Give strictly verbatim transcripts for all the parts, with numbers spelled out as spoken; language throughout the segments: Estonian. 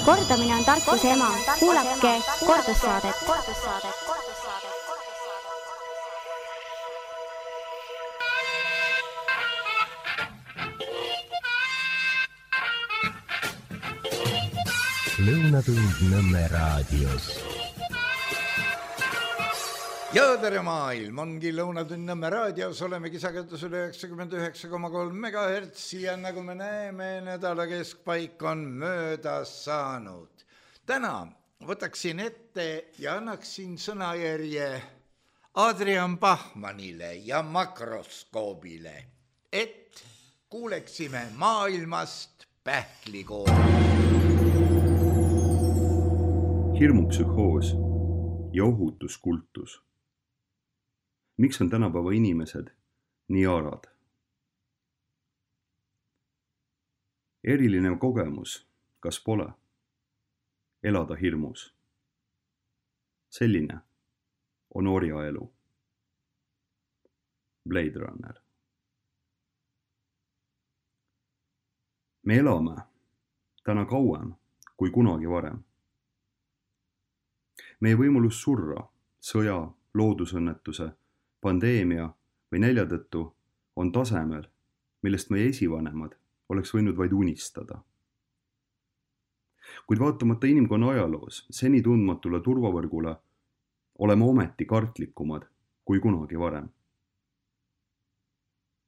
kordamine on tarkuse ema. Kuulake kordussaadet. Lõunatund Nõmme raadios. Ja tere maailm, ongi Lõunatund Nõmme raadios, olemegi sagedusel üheksakümmend üheksa koma kolm megahertsi ja nagu me näeme, nädala keskpaik on möödas saanud. Täna võtaksin ette ja annaksin sõnajärje Adrian Bachmannile ja makroskoobile, et kuuleksime maailmast pähklikooli. Hirmupsühhoos ja ohutuskultus. Miks on tänapäeva inimesed nii arad? Eriline kogemus, kas pole? Elada hirmus. Selline on orjaelu. Blade Runner. Me elame täna kauem kui kunagi varem. Meie võimalus surra, sõja, loodusõnnetuse, pandeemia või nälja tõttu on tasemel, millest meie esivanemad oleks võinud vaid unistada. Kuid vaatamata inimkonna ajaloos seni tundmatule turvavõrgule oleme ometi kartlikumad kui kunagi varem.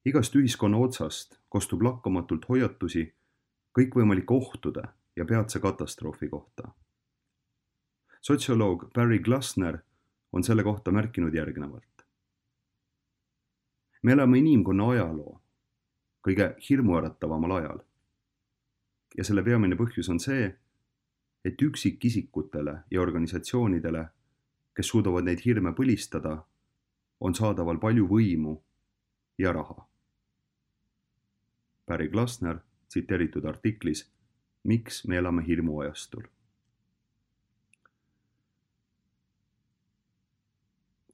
Igast ühiskonna otsast kostub lakkamatult hoiatusi kõikvõimalike ohtude ja peatse katastroofi kohta. Sotsioloog Barry Glassner on selle kohta märkinud järgnevalt. Me elame inimkonna ajaloo kõige hirmuärataval ajal. Ja selle peamine põhjus on see, et üksikisikutele ja organisatsioonidele, kes suudavad neid hirme põlistada, on saadaval palju võimu ja raha. Barry Glassner tsiteeritud artiklis Miks me elame hirmuajastul.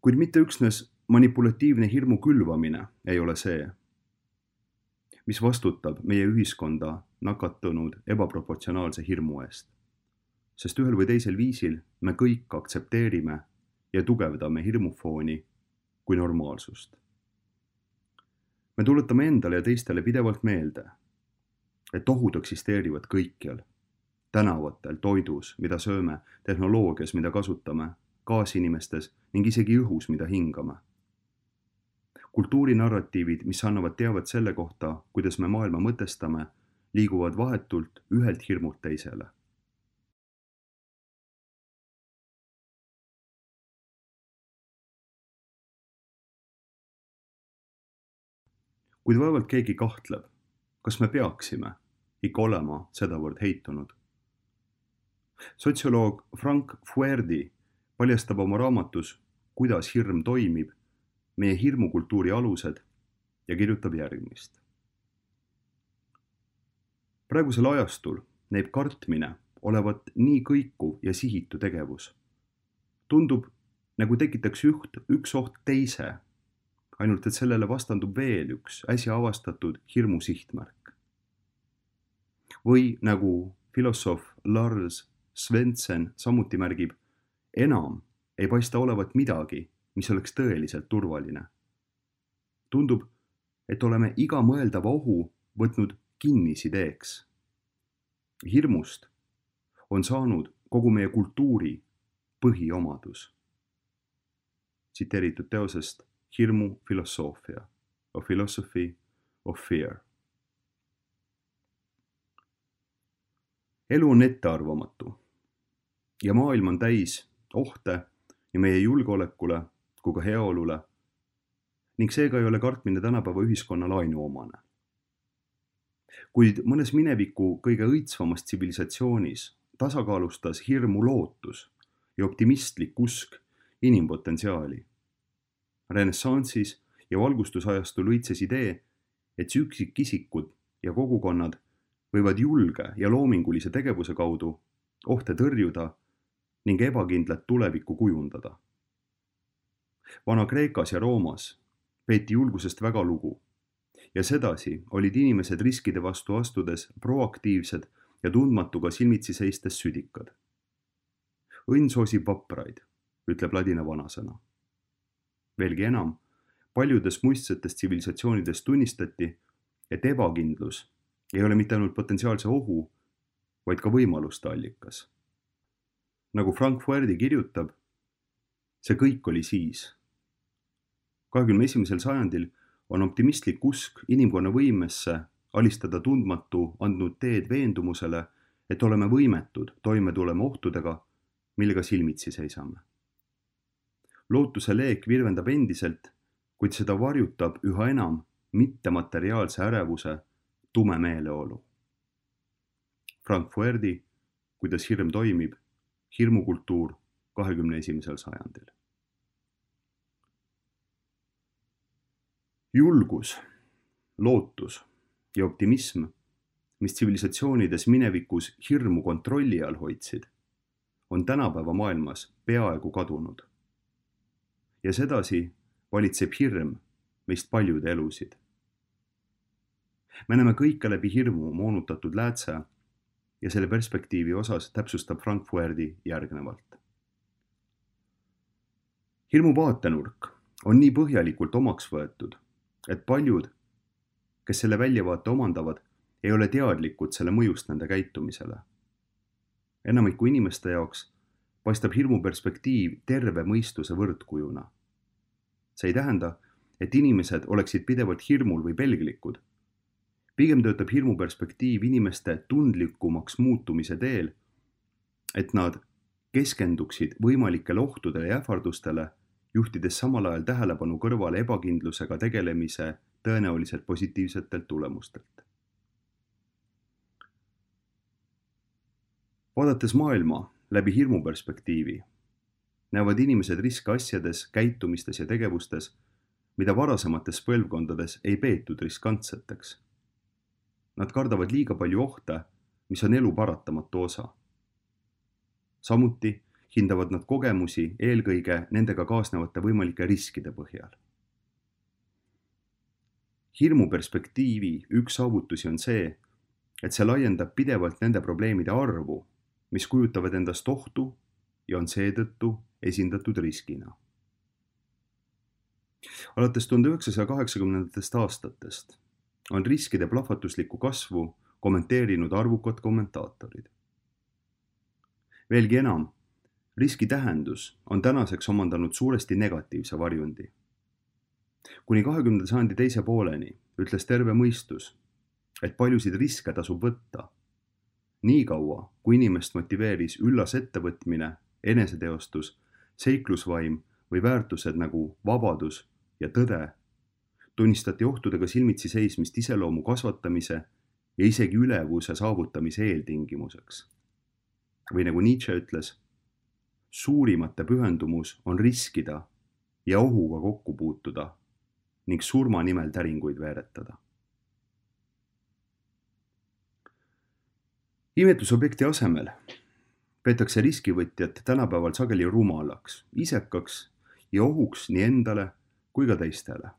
Kuid mitte üksnes manipulatiivne hirmu külvamine ei ole see, mis vastutab meie ühiskonda nakatunud ebaproportsionaalse hirmu eest, sest ühel või teisel viisil me kõik aktsepteerime ja tugevdame hirmufooni kui normaalsust. Me tuletame endale ja teistele pidevalt meelde, et ohud eksisteerivad kõikjal, tänavatel, toidus, mida sööme, tehnoloogias, mida kasutame, kaasinimestes ning isegi õhus, mida hingame. Kultuurinarratiivid, mis annavad teavet selle kohta, kuidas me maailma mõtestame, liiguvad vahetult ühelt hirmult teisele. Kuid vaevalt keegi kahtleb, kas me peaksime ikka olema sedavõrd heitunud. Sotsioloog Frank Fuerdi paljastab oma raamatus, kuidas hirm toimib, meie hirmukultuuri alused ja kirjutab järgmist. Praegusel ajastul näib kartmine olevat nii kõikuv ja sihitu tegevus. Tundub, nagu tekitaks üht, üks oht teise, ainult et sellele vastandub veel üks äsja avastatud hirmu sihtmärk. Või nagu filosoof Lars Svensson samuti märgib, enam ei paista olevat midagi, mis oleks tõeliselt turvaline. Tundub, et oleme iga mõeldava ohu võtnud kinnisideeks. Hirmust on saanud kogu meie kultuuri põhiomadus. Tsiteeritud teosest Hirmu filosoofia, A Philosophy of Fear. Elu on ettearvamatu ja maailm on täis ohte ja meie julgeolekule kui ka heaolule ning seega ei ole kartmine tänapäeva ühiskonnal ainuomane. Kuid mõnes mineviku kõige õitsvamas tsivilisatsioonis tasakaalustas hirmu lootus ja optimistlik usk inimpotentsiaali. Renessansis ja valgustusajastul õitses idee, et üksikisikud ja kogukonnad võivad julge ja loomingulise tegevuse kaudu ohte tõrjuda ning ebakindlat tulevikku kujundada. Vana-Kreekas ja Roomas peeti julgusest väga lugu ja sedasi olid inimesed riskide vastu astudes proaktiivsed ja tundmatuga silmitsi seistes südikad. Õnn soosib vapraid, ütleb ladina vanasõna. Veelgi enam, paljudes muistsetes tsivilisatsioonides tunnistati, et ebakindlus ei ole mitte ainult potentsiaalse ohu, vaid ka võimaluste allikas. Nagu Frank Fuerdi kirjutab, see kõik oli siis. kahekümne esimesel sajandil on optimistlik usk inimkonna võimesse alistada tundmatu andnud teed veendumusele, et oleme võimetud toime tulema ohtudega, millega silmitsi seisame. Lootuse leek virvendab endiselt, kuid seda varjutab üha enam mittemateriaalse ärevuse tume meeleolu. Frank Fuerdi, kuidas hirm toimib, hirmukultuur kahekümne esimesel sajandil. Julgus, lootus ja optimism, mis tsivilisatsioonides minevikus hirmu kontrolli all hoidsid, on tänapäeva maailmas peaaegu kadunud. Ja sedasi valitseb hirm meist paljude elusid. Me näeme kõike läbi hirmu moonutatud läätse ja selle perspektiivi osas täpsustab Frank Fuerdi järgnevalt. Hirmu vaatenurk on nii põhjalikult omaks võetud, et paljud, kes selle väljavaate omandavad, ei ole teadlikud selle mõjust nende käitumisele. Enamiku inimeste jaoks paistab hirmu perspektiiv terve mõistuse võrdkujuna. See ei tähenda, et inimesed oleksid pidevalt hirmul või pelglikud. Pigem töötab hirmu perspektiiv inimeste tundlikumaks muutumise teel, et nad keskenduksid võimalikele ohtudele ja ähvardustele, juhtides samal ajal tähelepanu kõrvale ebakindlusega tegelemise tõenäoliselt positiivsetelt tulemustelt. Vaadates maailma läbi hirmu perspektiivi, näevad inimesed riske asjades, käitumistes ja tegevustes, mida varasemates põlvkondades ei peetud riskantseteks. Nad kardavad liiga palju ohte, mis on elu paratamatu osa. Samuti hindavad nad kogemusi eelkõige nendega kaasnevate võimalike riskide põhjal. Hirmu perspektiivi üks saavutusi on see, et see laiendab pidevalt nende probleemide arvu, mis kujutavad endast ohtu ja on seetõttu esindatud riskina. Alates tuhande üheksasaja kaheksakümnendatest aastatest on riskide plahvatuslikku kasvu kommenteerinud arvukad kommentaatorid. Veelgi enam, riski tähendus on tänaseks omandanud suuresti negatiivse varjundi. Kuni kahekümnenda sajandi teise pooleni ütles terve mõistus, et paljusid riske tasub võtta. Nii kaua, kui inimest motiveeris üllas ettevõtmine, eneseteostus, seiklusvaim või väärtused nagu vabadus ja tõde, tunnistati ohtudega silmitsi seismist iseloomu kasvatamise ja isegi ülevuse saavutamise eeltingimuseks. Või nagu Nietzsche ütles, suurimate pühendumus on riskida ja ohuga kokku puutuda ning surma nimel täringuid veeretada. Imetlusobjekti asemel peetakse riskivõtjat tänapäeval sageli rumalaks, isekaks ja ohuks nii endale kui ka teistele.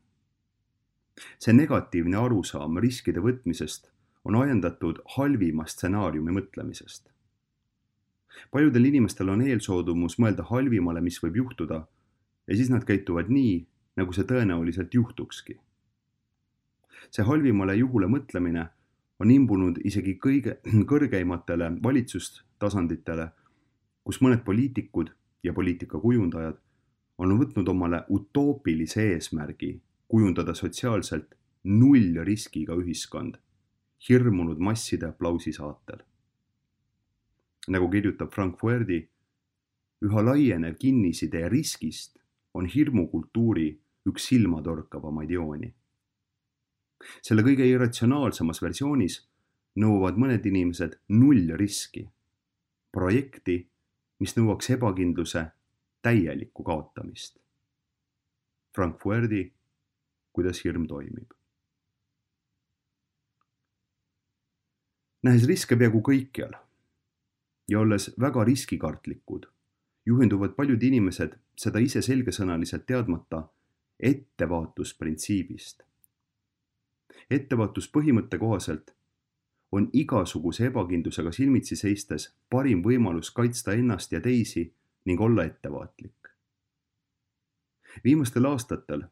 See negatiivne arusaam riskide võtmisest on ajendatud halvima stsenaariumi mõtlemisest. Paljudel inimestel on eelsoodumus mõelda halvimale, mis võib juhtuda, ja siis nad käituvad nii, nagu see tõenäoliselt juhtukski. See halvimale juhule mõtlemine on imbunud isegi kõige kõrgeimatele valitsustasanditele, kus mõned poliitikud ja poliitikakujundajad on võtnud omale utoopilise eesmärgi kujundada sotsiaalselt null riskiga ühiskond, hirmunud masside aplausi saatel. Nagu kirjutab Frank Fuerdi, üha laienev kinnisidee riskist on hirmukultuuri üks silmatorkavamaid jooni. Selle kõige irratsionaalsemas versioonis nõuavad mõned inimesed null riski, projekti, mis nõuaks ebakindluse täielikku kaotamist. Frank Fuerdi, kuidas hirm toimib. Nähes riske peaaegu kõikjal ja olles väga riskikartlikud, juhenduvad paljud inimesed seda ise selgesõnaliselt teadmata ettevaatusprintsiibist. Ettevaatuspõhimõtte kohaselt on igasuguse ebakindlusega silmitsi seistes parim võimalus kaitsta ennast ja teisi ning olla ettevaatlik. Viimastel aastatel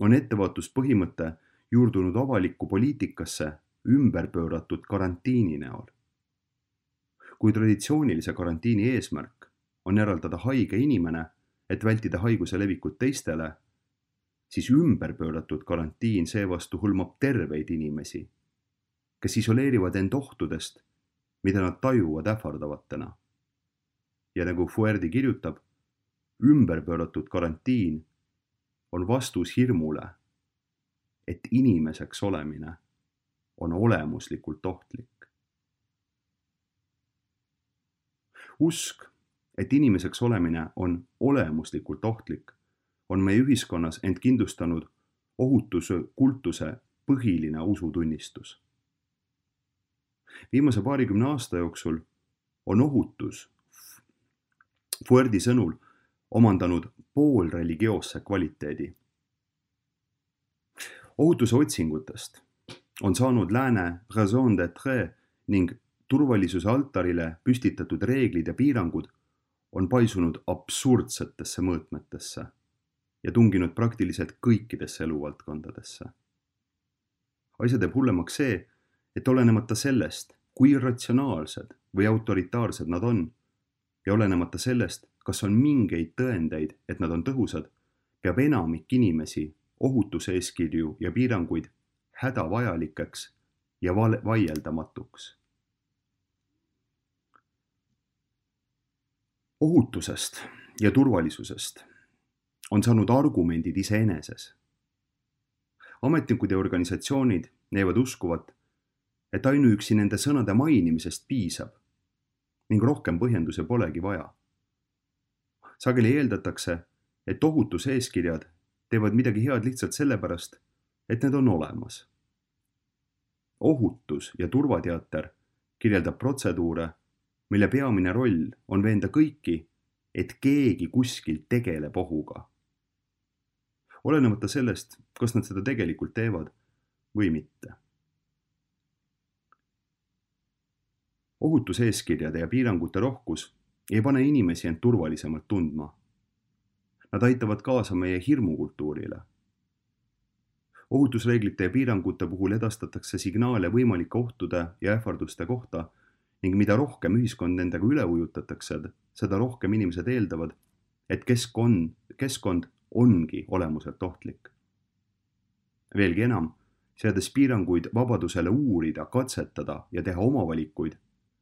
on ettevaatuspõhimõte juurdunud avalikku poliitikasse ümber pööratud karantiini näol. Kui traditsioonilise karantiini eesmärk on eraldada haige inimene, et vältida haiguse levikut teistele, siis ümber pööratud karantiin seevastu hõlmab terveid inimesi, kes isoleerivad end ohtudest, mida nad tajuvad ähvardavatena. Ja nagu Fuerdi kirjutab, ümber pööratud karantiin on vastus hirmule, et inimeseks olemine on olemuslikult ohtlik. Usk, et inimeseks olemine on olemuslikult ohtlik, on meie ühiskonnas end kindlustanud ohutuse kultuse põhiline usutunnistus. Viimase paarikümne aasta jooksul on ohutus Fuerdi sõnul omandanud poolreligioosse kvaliteedi. Ohutuse otsingutest on saanud lääne raison d'être ning turvalisuse altarile püstitatud reeglid ja piirangud on paisunud absurdsetesse mõõtmetesse ja tunginud praktiliselt kõikidesse eluvaldkondadesse. Asja teeb hullemaks see, et olenemata sellest, kui ratsionaalsed või autoritaarsed nad on, ja olenemata sellest, kas on mingeid tõendeid, et nad on tõhusad, peab enamik inimesi ohutuseeskirju ja piiranguid hädavajalikeks ja vaieldamatuks. Ohutusest ja turvalisusest on saanud argumendid iseeneses. Ametnikud ja organisatsioonid näivad uskuvat, et ainuüksi nende sõnade mainimisest piisab ning rohkem põhjendusi polegi vaja. Sageli eeldatakse, et ohutuseeskirjad teevad midagi head lihtsalt sellepärast, et need on olemas. Ohutus ja turvateater kirjeldab protseduure, mille peamine roll on veenda kõiki, et keegi kuskil tegeleb ohuga. Olenemata sellest, kas nad seda tegelikult teevad või mitte. Ohutuseeskirjade ja piirangute rohkus ei pane inimesi end turvalisemalt tundma. Nad aitavad kaasa meie hirmukultuurile. Ohutusreeglite ja piirangute puhul edastatakse signaale võimalike ohtude ja ähvarduste kohta ning mida rohkem ühiskond nendega üle ujutatakse, seda rohkem inimesed eeldavad, et keskkond, keskkond ongi olemuselt ohtlik. Veelgi enam, seades piiranguid vabadusele uurida, katsetada ja teha oma valikuid,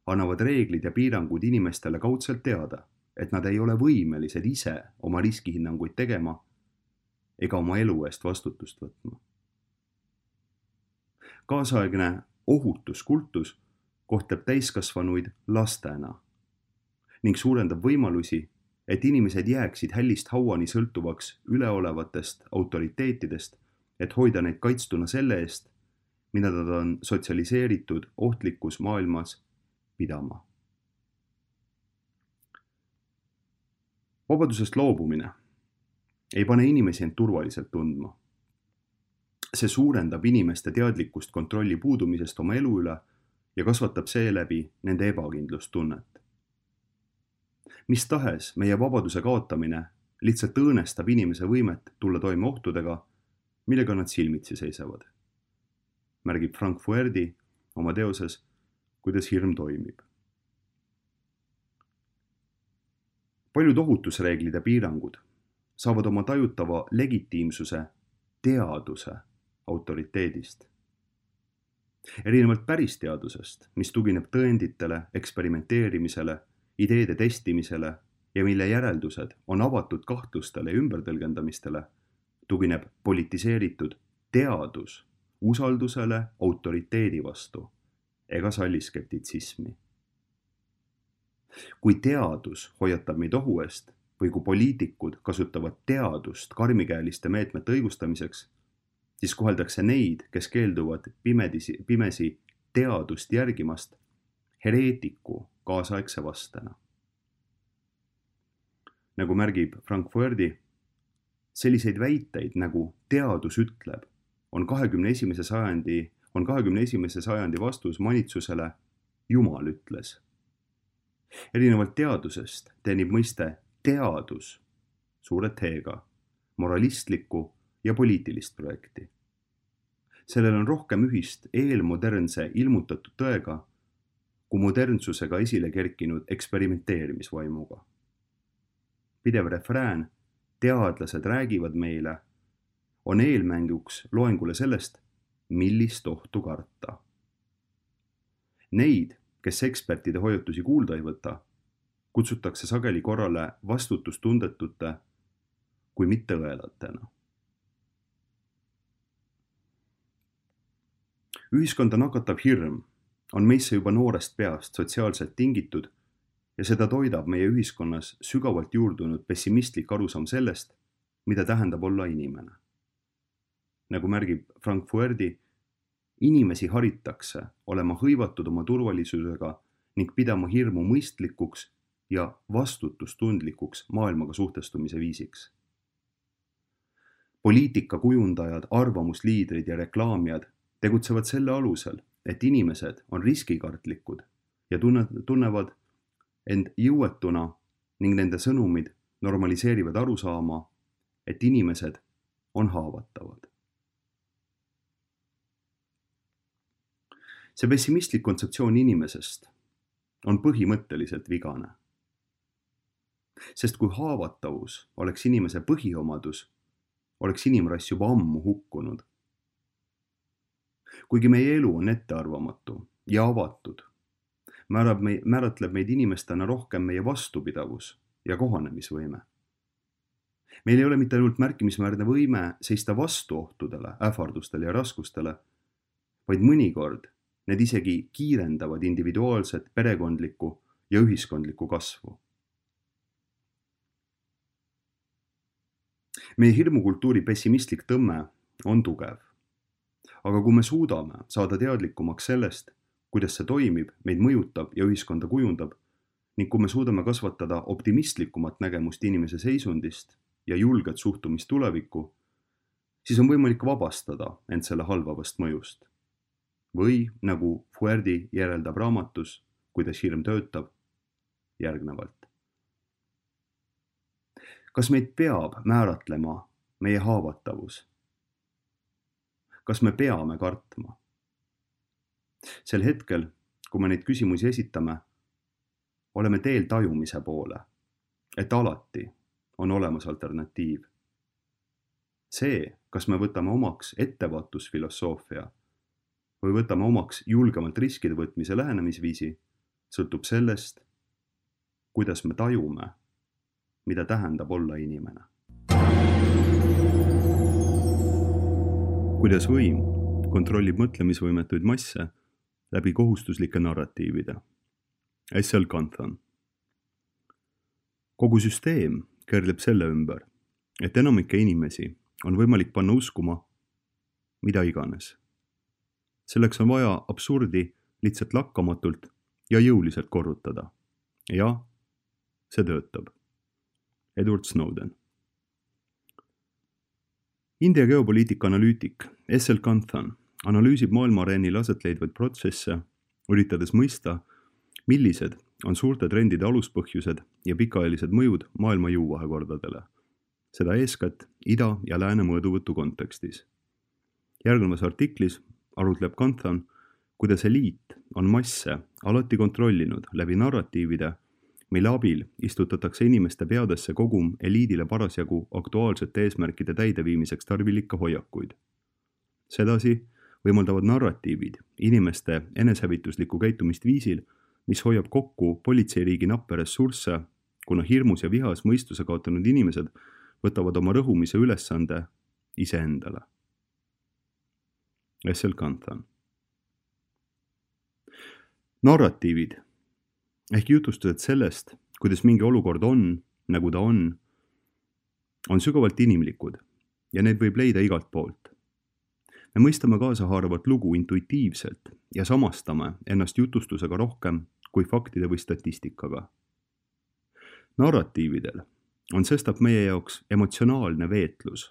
annavad reeglid ja piirangud inimestele kaudselt teada, et nad ei ole võimelised ise oma riskihinnanguid tegema ega oma elu eest vastutust võtma. Kaasaegne ohutuskultus kohtleb täiskasvanuid lastena ning suurendab võimalusi, et inimesed jääksid hällist hauani sõltuvaks üleolevatest autoriteetidest, et hoida neid kaitstuna selle eest, mida nad on sotsialiseeritud ohtlikus maailmas pidama. Vabadusest loobumine ei pane inimesi end turvaliselt tundma. See suurendab inimeste teadlikkust kontrolli puudumisest oma elu üle ja kasvatab seeläbi nende ebakindlustunnet. Mis tahes meie vabaduse kaotamine lihtsalt õõnestab inimese võimet tulla toime ohtudega, millega nad silmitsi seisavad. Märgib Frank Fuerdi oma teoses, kuidas hirm toimib. Paljud ohutusreeglid ja piirangud saavad oma tajutava legitiimsuse teaduse autoriteedist. Erinevalt päris teadusest, mis tugineb tõenditele, eksperimenteerimisele, ideede testimisele ja mille järeldused on avatud kahtlustele ja ümbertõlgendamistele, tugineb politiseeritud teadus usaldusele autoriteedi vastu ega salli skeptitsismi. Kui teadus hoiatab meid ohu eest või kui poliitikud kasutavad teadust karmikäeliste meetmete õigustamiseks, siis koheldakse neid, kes keelduvad pimedisi, pimesi teadust järgimast, hereetiku kaasaegse vastena. Nagu märgib Frank Fuerdi, selliseid väiteid nagu teadus ütleb, on kahekümne esimese sajandi on kahekümne esimese sajandi vastus manitsusele Jumal ütles. Erinevalt teadusest teenib mõiste teadus suure T-ga moralistlikku ja poliitilist projekti. Sellel on rohkem ühist eelmodernse ilmutatud tõega kui modernsusega esile kerkinud eksperimenteerimisvaimuga. Pidev refrään teadlased räägivad meile on eelmänguks loengule sellest, millist ohtu karta. Neid, kes ekspertide hoiatusi kuulda ei võta, kutsutakse sageli korrale vastutustundetute kui mitte õelatena. Ühiskonda nakatav hirm on meisse juba noorest peast sotsiaalselt tingitud ja seda toidab meie ühiskonnas sügavalt juurdunud pessimistlik arusaam sellest, mida tähendab olla inimene. Nagu märgib Frank Fuerdi, inimesi haritakse olema hõivatud oma turvalisusega ning pidama hirmu mõistlikuks ja vastutustundlikuks maailmaga suhtestumise viisiks. Poliitikakujundajad, arvamusliidrid ja reklaamijad tegutsevad selle alusel, et inimesed on riskikartlikud ja tunnevad end jõuetuna ning nende sõnumid normaliseerivad arusaama, et inimesed on haavatavad. See pessimistlik kontseptsioon inimesest on põhimõtteliselt vigane. Sest kui haavatavus oleks inimese põhiomadus, oleks inimrass juba ammu hukkunud. Kuigi meie elu on ettearvamatu ja avatud, määrab me, määratleb meid inimestena rohkem meie vastupidavus ja kohanemisvõime. Meil ei ole mitte ainult märkimisväärne võime seista vastu ohtudele, ähvardustele ja raskustele, vaid mõnikord need isegi kiirendavad individuaalset, perekondlikku ja ühiskondlikku kasvu. Meie hirmukultuuri pessimistlik tõmme on tugev. Aga kui me suudame saada teadlikumaks sellest, kuidas see toimib, meid mõjutab ja ühiskonda kujundab, ning kui me suudame kasvatada optimistlikumat nägemust inimese seisundist ja julget suhtumist tulevikku, siis on võimalik vabastada end selle halvavast mõjust. Või, nagu Fuerdi järeldab raamatus, kuidas hirm töötab, järgnevalt. Kas meid peab määratlema meie haavatavus? Kas me peame kartma? Sel hetkel, kui me neid küsimusi esitame, oleme teel tajumise poole, et alati on olemas alternatiiv. See, kas me võtame omaks ettevaatusfilosoofia või võtame omaks julgemalt riskide võtmise lähenemisviisi, sõltub sellest, kuidas me tajume, mida tähendab olla inimene. Kuidas võim kontrollib mõtlemisvõimetuid masse läbi kohustuslike narratiivide. S L Kanthan. Kogu süsteem keerleb selle ümber, et enamike inimesi on võimalik panna uskuma mida iganes. Selleks on vaja absurdi lihtsalt lakkamatult ja jõuliselt korrutada. Ja see töötab. Edward Snowden. India geopoliitika analüütik S L Kanthan analüüsib maailma areenil aset leidvaid protsesse, üritades mõista, millised on suurte trendide aluspõhjused ja pikaajalised mõjud maailma jõuvahekordadele. Seda eeskätt ida- ja lääne mõõduvõtu kontekstis. Järgnevas artiklis arutleb Kanthan, kuidas eliit on masse alati kontrollinud läbi narratiivide, mille abil istutatakse inimeste peadesse kogum eliidile parasjagu aktuaalsete eesmärkide täideviimiseks tarvilikke hoiakuid. Sedasi võimaldavad narratiivid inimeste enesehävituslikku käitumist viisil, mis hoiab kokku politseiriigi nappe ressursse, kuna hirmus ja vihas mõistuse kaotanud inimesed võtavad oma rõhumise ülesande iseendale. S L Kanthan. Narratiivid ehk jutustused sellest, kuidas mingi olukord on, nagu ta on, on sügavalt inimlikud ja need võib leida igalt poolt. Me mõistame kaasahaaravat lugu intuitiivselt ja samastame ennast jutustusega rohkem kui faktide või statistikaga. Narratiividel on sestap meie jaoks emotsionaalne veetlus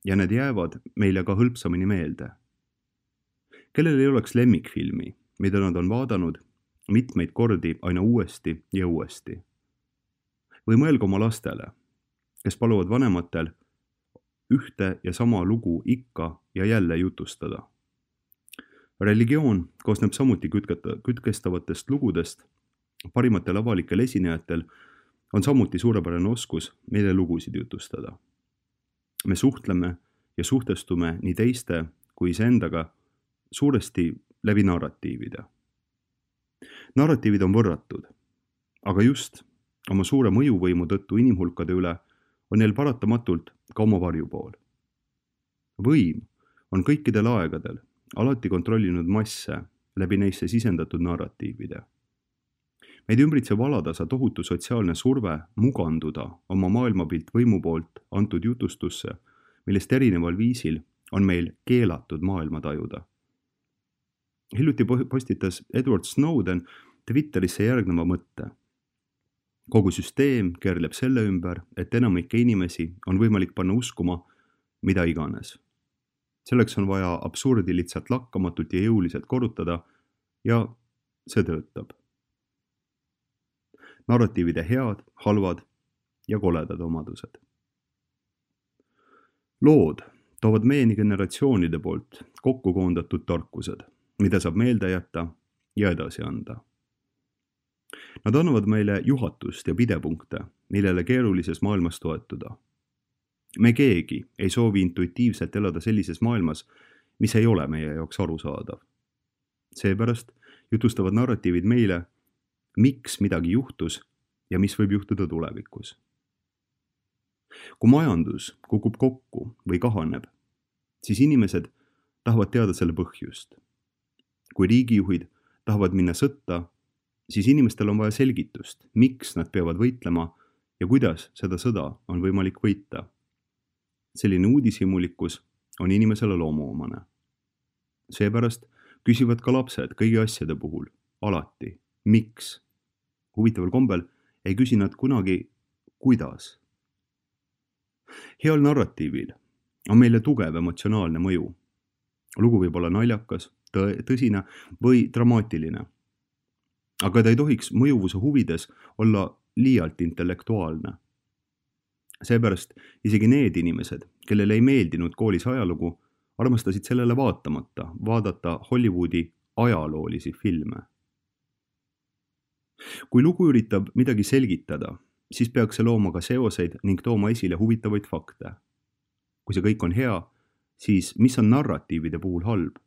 ja need jäävad meile ka hõlpsamini meelde. kellel ei oleks lemmikfilmi, mida nad on vaadanud mitmeid kordi aina uuesti ja uuesti. Või mõelge oma lastele, kes paluvad vanematel ühte ja sama lugu ikka ja jälle jutustada. Religioon koosneb samuti kütketa, kütkestavatest lugudest. Parimatel avalikel esinejatel on samuti suurepärane oskus meile lugusid jutustada. Me suhtleme ja suhtestume nii teiste kui iseendaga suuresti läbi narratiivide. Narratiivid on võrratud, aga just oma suure mõjuvõimu tõttu inimhulkade üle on neil paratamatult ka oma varjupool. Võim on kõikidel aegadel alati kontrollinud masse läbi neisse sisendatud narratiivide. Meid ümbritsev alatasa tohutu sotsiaalne surve muganduda oma maailmapilt võimu poolt antud jutustusse, millest erineval viisil on meil keelatud maailma tajuda. Hiljuti postitas Edward Snowden Twitterisse järgneva mõtte. Kogu süsteem keerleb selle ümber, et enamike inimesi on võimalik panna uskuma mida iganes. Selleks on vaja absurdi lihtsalt lakkamatult ja jõuliselt korrutada ja see töötab. Narratiivide head, halvad ja koledad omadused. Lood toovad meieni generatsioonide poolt kokku koondatud tarkused, mida saab meelde jätta ja edasi anda. Nad annavad meile juhatust ja pidepunkte, millele keerulises maailmas toetuda. Me keegi ei soovi intuitiivselt elada sellises maailmas, mis ei ole meie jaoks arusaadav. Seepärast jutustavad narratiivid meile, miks midagi juhtus ja mis võib juhtuda tulevikus. Kui majandus kukub kokku või kahaneb, siis inimesed tahavad teada selle põhjust. Kui riigijuhid tahavad minna sõtta, siis inimestel on vaja selgitust, miks nad peavad võitlema ja kuidas seda sõda on võimalik võita. Selline uudishimulikkus on inimesele loomuomane. Seepärast küsivad ka lapsed kõigi asjade puhul alati, miks. Huvitaval kombel ei küsi nad kunagi, kuidas. Heal narratiivil on meile tugev emotsionaalne mõju. Lugu võib olla naljakas, tõsine või dramaatiline. Aga ta ei tohiks mõjuvuse huvides olla liialt intellektuaalne. Seepärast isegi need inimesed, kellele ei meeldinud koolis ajalugu, armastasid sellele vaatamata vaadata Hollywoodi ajaloolisi filme. Kui lugu üritab midagi selgitada, siis peaks see looma ka seoseid ning tooma esile huvitavaid fakte. Kui see kõik on hea, siis mis on narratiivide puhul halb?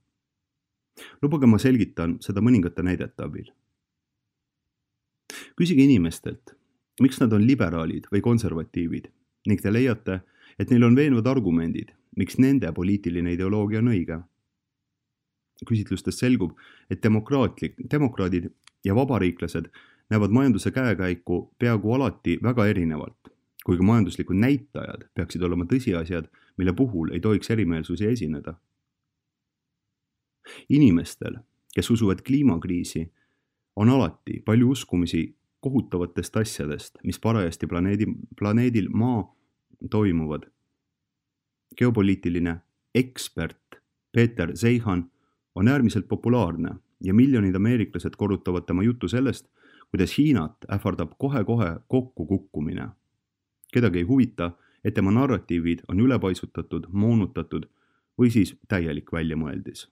Lubage ma selgitan seda mõningate näidete abil. Küsige inimestelt, miks nad on liberaalid või konservatiivid ning te leiate, et neil on veenvad argumendid, miks nende poliitiline ideoloogia on õige. Küsitlustest selgub, et demokraatlik, demokraadid ja vabariiklased näevad majanduse käekäiku peaaegu alati väga erinevalt, kuigi majanduslikud näitajad peaksid olema tõsiasjad, mille puhul ei tohiks erimeelsusi esineda. Inimestel, kes usuvad kliimakriisi, on alati palju uskumisi kohutavatest asjadest, mis parajasti planeedi, planeedil Maa toimuvad. Geopoliitiline ekspert Peter Zeihan on äärmiselt populaarne ja miljonid ameeriklased korrutavad tema juttu sellest, kuidas Hiinat ähvardab kohe-kohe kokku kukkumine. Kedagi ei huvita, et tema narratiivid on ülepaisutatud, moonutatud või siis täielik väljamõeldis.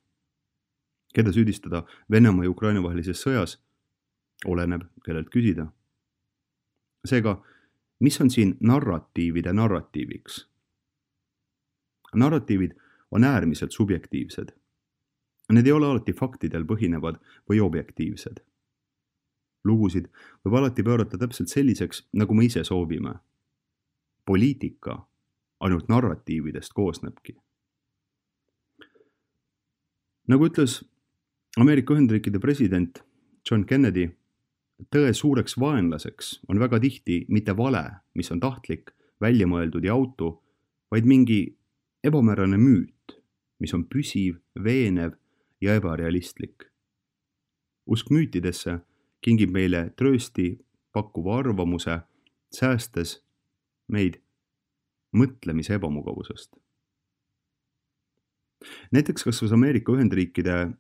Keda süüdistada Venemaa ja Ukraina vahelises sõjas? Oleneb, kellelt küsida. Seega, mis on siin narratiivide narratiiviks? Narratiivid on äärmiselt subjektiivsed. Need ei ole alati faktidel põhinevad või objektiivsed. Lugusid võib alati pöörata täpselt selliseks, nagu me ise soovime. Poliitika ainult narratiividest koosnebki. Nagu ütles Ameerika Ühendriikide president John Kennedy, tõe suureks vaenlaseks on väga tihti mitte vale, mis on tahtlik, väljamõeldud ja autu, vaid mingi ebamäärane müüt, mis on püsiv, veenev ja ebarealistlik. Usk müütidesse kingib meile tröösti pakkuva arvamuse, säästes meid mõtlemise ebamugavusest. Näiteks kasvas Ameerika Ühendriikide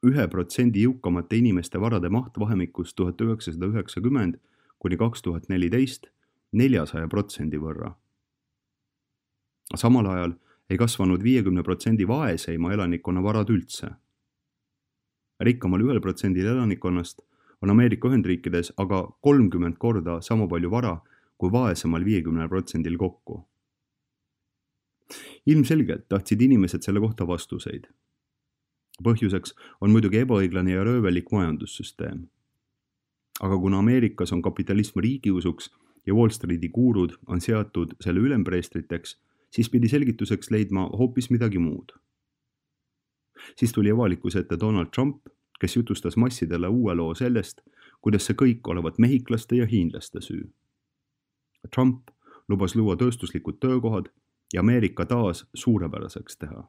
ühe protsendi jõukamate inimeste varade maht vahemikus tuhat üheksasada üheksakümmend kuni kaks tuhat neliteist neljasaja protsendi võrra. Samal ajal ei kasvanud viiekümne protsendi vaeseima elanikkonna varad üldse. Rikkamal ühel protsendil elanikkonnast on Ameerika Ühendriikides aga kolmkümmend korda sama palju vara kui vaesemal viiekümnel protsendil kokku. Ilmselgelt tahtsid inimesed selle kohta vastuseid. Põhjuseks on muidugi ebaõiglane ja röövelik majandussüsteem. Aga kuna Ameerikas on kapitalism riigiusuks ja Wall Streeti guurud on seatud selle ülempreestriteks, siis pidi selgituseks leidma hoopis midagi muud. Siis tuli avalikkuse ette Donald Trump, kes jutustas massidele uue loo sellest, kuidas see kõik olevat mehiklaste ja hiinlaste süü. Trump lubas luua tööstuslikud töökohad ja Ameerika taas suurepäraseks teha.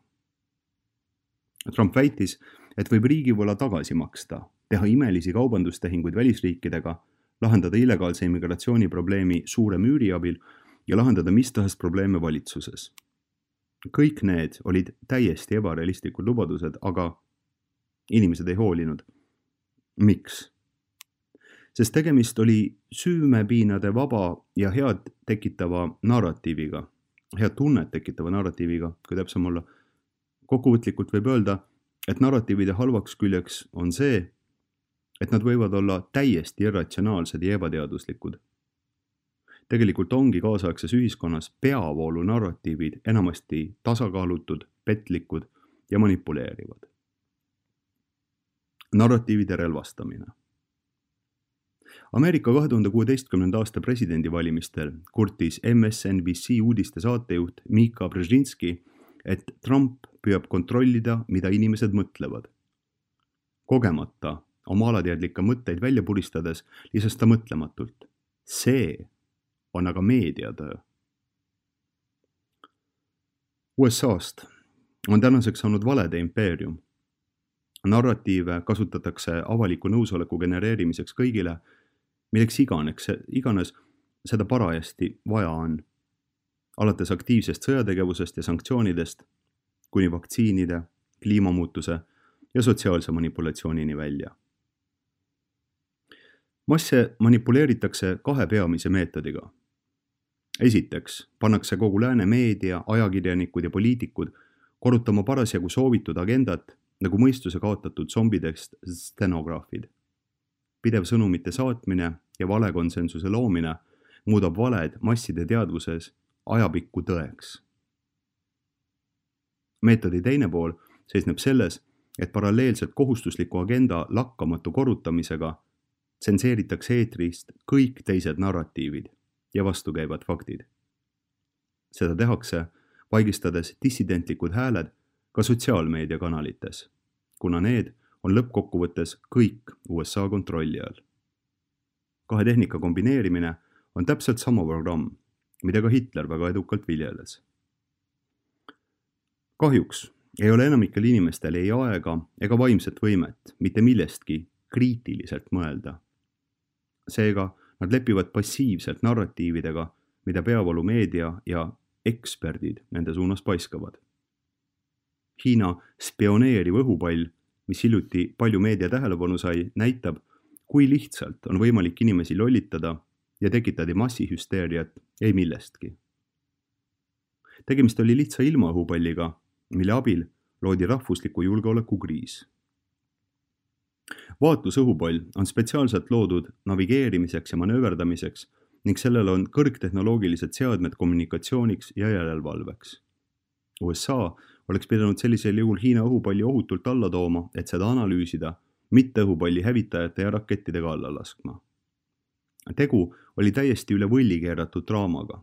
Trump väitis, et võib riigivõla tagasi maksta, teha imelisi kaubandustehinguid välisriikidega, lahendada illegaalse immigratsiooni probleemi suure müüri abil ja lahendada mis tahes probleeme valitsuses. Kõik need olid täiesti ebarealistlikud lubadused, aga inimesed ei hoolinud. Miks? Sest tegemist oli süümepiinade vaba ja head tekitava narratiiviga, head tunnet tekitava narratiiviga, kui täpsem olla. Kokkuvõtlikult võib öelda, et narratiivide halvaks küljeks on see, et nad võivad olla täiesti irratsionaalsed ja ebateaduslikud. Tegelikult ongi kaasaegses ühiskonnas peavoolu narratiivid enamasti tasakaalutud, petlikud ja manipuleerivad. Narratiivide relvastamine. Ameerika kahe tuhande kuueteistkümnenda aasta presidendivalimistel kurtis M S N B C uudiste saatejuht Mika Brzezinski, et Trump püüab kontrollida, mida inimesed mõtlevad. Kogemata oma alateadlikke mõtteid välja puristades lisas ta mõtlematult. See on aga meediatöö. U S A-st on tänaseks saanud valede impeerium. Narratiive kasutatakse avaliku nõusoleku genereerimiseks kõigile, milleks iganeks, iganes seda parajasti vaja on. Alates aktiivsest sõjategevusest ja sanktsioonidest kuni vaktsiinide, kliimamuutuse ja sotsiaalse manipulatsioonini välja. Masse manipuleeritakse kahe peamise meetodiga. Esiteks pannakse kogu lääne meedia, ajakirjanikud ja poliitikud korrutama parasjagu soovitud agendat nagu mõistuse kaotatud zombidest stenograafid. Pidev sõnumite saatmine ja valekonsensuse loomine muudab valed masside teadvuses ajapikku tõeks. Meetodi teine pool seisneb selles, et paralleelselt kohustusliku agenda lakkamatu korrutamisega tsenseeritakse eetrist kõik teised narratiivid ja vastukäivad faktid. Seda tehakse, vaigistades dissidentlikud hääled ka sotsiaalmeediakanalites, kuna need on lõppkokkuvõttes kõik U S A kontrolli all. Kahe tehnika kombineerimine on täpselt sama programm, mida ka Hitler väga edukalt viljeles. Kahjuks ei ole enamikel inimestel ei aega ega vaimset võimet mitte millestki kriitiliselt mõelda. Seega nad lepivad passiivselt narratiividega, mida peavoolu meedia ja eksperdid nende suunas paiskavad. Hiina spioneeriv õhupall, mis hiljuti palju meedia tähelepanu sai, näitab, kui lihtsalt on võimalik inimesi lollitada ja tekitada massihüsteeriat ei millestki. Tegemist oli lihtsa ilmaõhupalliga, mille abil loodi rahvusliku julgeoleku kriis. Vaatlusõhupall on spetsiaalselt loodud navigeerimiseks ja manööverdamiseks ning sellel on kõrgtehnoloogilised seadmed kommunikatsiooniks ja järelevalveks. U S A oleks pidanud sellisel juhul Hiina õhupalli ohutult alla tooma, et seda analüüsida, mitte õhupalli hävitajate ja rakettidega alla laskma. Tegu oli täiesti üle võlli keeratud draamaga,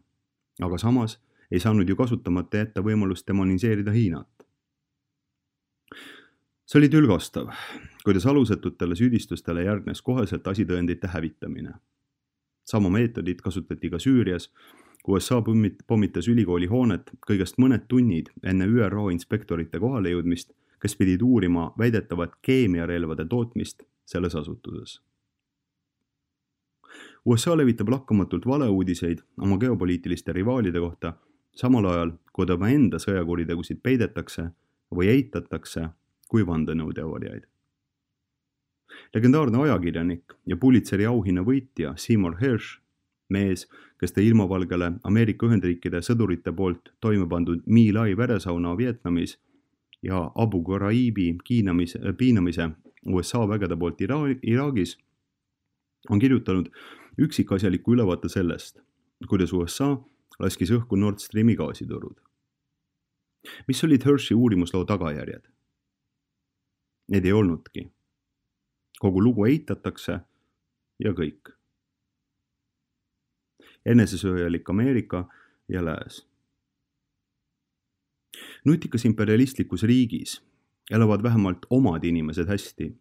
aga samas ei saanud ju kasutamata jätta võimalust demoniseerida Hiinat. See oli tülgastav, kuidas alusetutele süüdistustele järgnes koheselt asitõendite hävitamine. Sama meetodit kasutati ka Süürias, kui U S A pommitas ülikooli hoonet kõigest mõned tunnid enne Ü R O inspektorite kohale jõudmist, kes pidid uurima väidetavat keemiarelvade tootmist selles asutuses. U S A levitab lakkamatult valeuudiseid oma geopoliitiliste rivaalide kohta, samal ajal, kui ta enda sõjakuritegusid peidetakse või eitatakse kui vandenõuteooriaid. legendaarne ajakirjanik ja Pulitzeri auhinna võitja Seymour Hersh, mees, kes tõi ilmavalgele Ameerika Ühendriikide sõdurite poolt toime pandud My Lai veresauna Vietnamis ja Abu Ghraib'i kiinamise, piinamise U S A vägede poolt Ira- Iraagis, on kirjutanud üksikasjaliku ülevaate sellest, kuidas U S A laskis õhku Nord Streami gaasiturud. Mis olid Hershi uurimusloo tagajärjed? Need ei olnudki. Kogu lugu eitatakse ja kõik. Enesesööjalik Ameerika ja lääs. Nutikas imperialistlikus riigis elavad vähemalt omad inimesed hästi,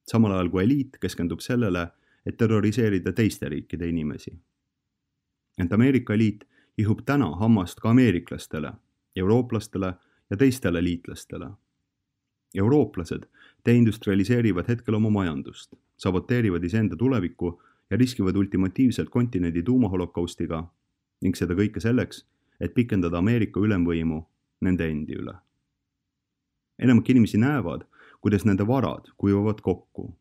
samal ajal kui eliit keskendub sellele, et terroriseerida teiste riikide inimesi. Ent Ameerika eliit ihub täna hammast ka ameeriklastele, eurooplastele ja teistele liitlastele. Eurooplased deindustrialiseerivad hetkel oma majandust, saboteerivad iseenda tulevikku ja riskivad ultimatiivselt kontinendi tuumaholokaustiga ning seda kõike selleks, et pikendada Ameerika ülemvõimu nende endi üle. Enamik inimesi näevad, kuidas nende varad kuivavad kokku,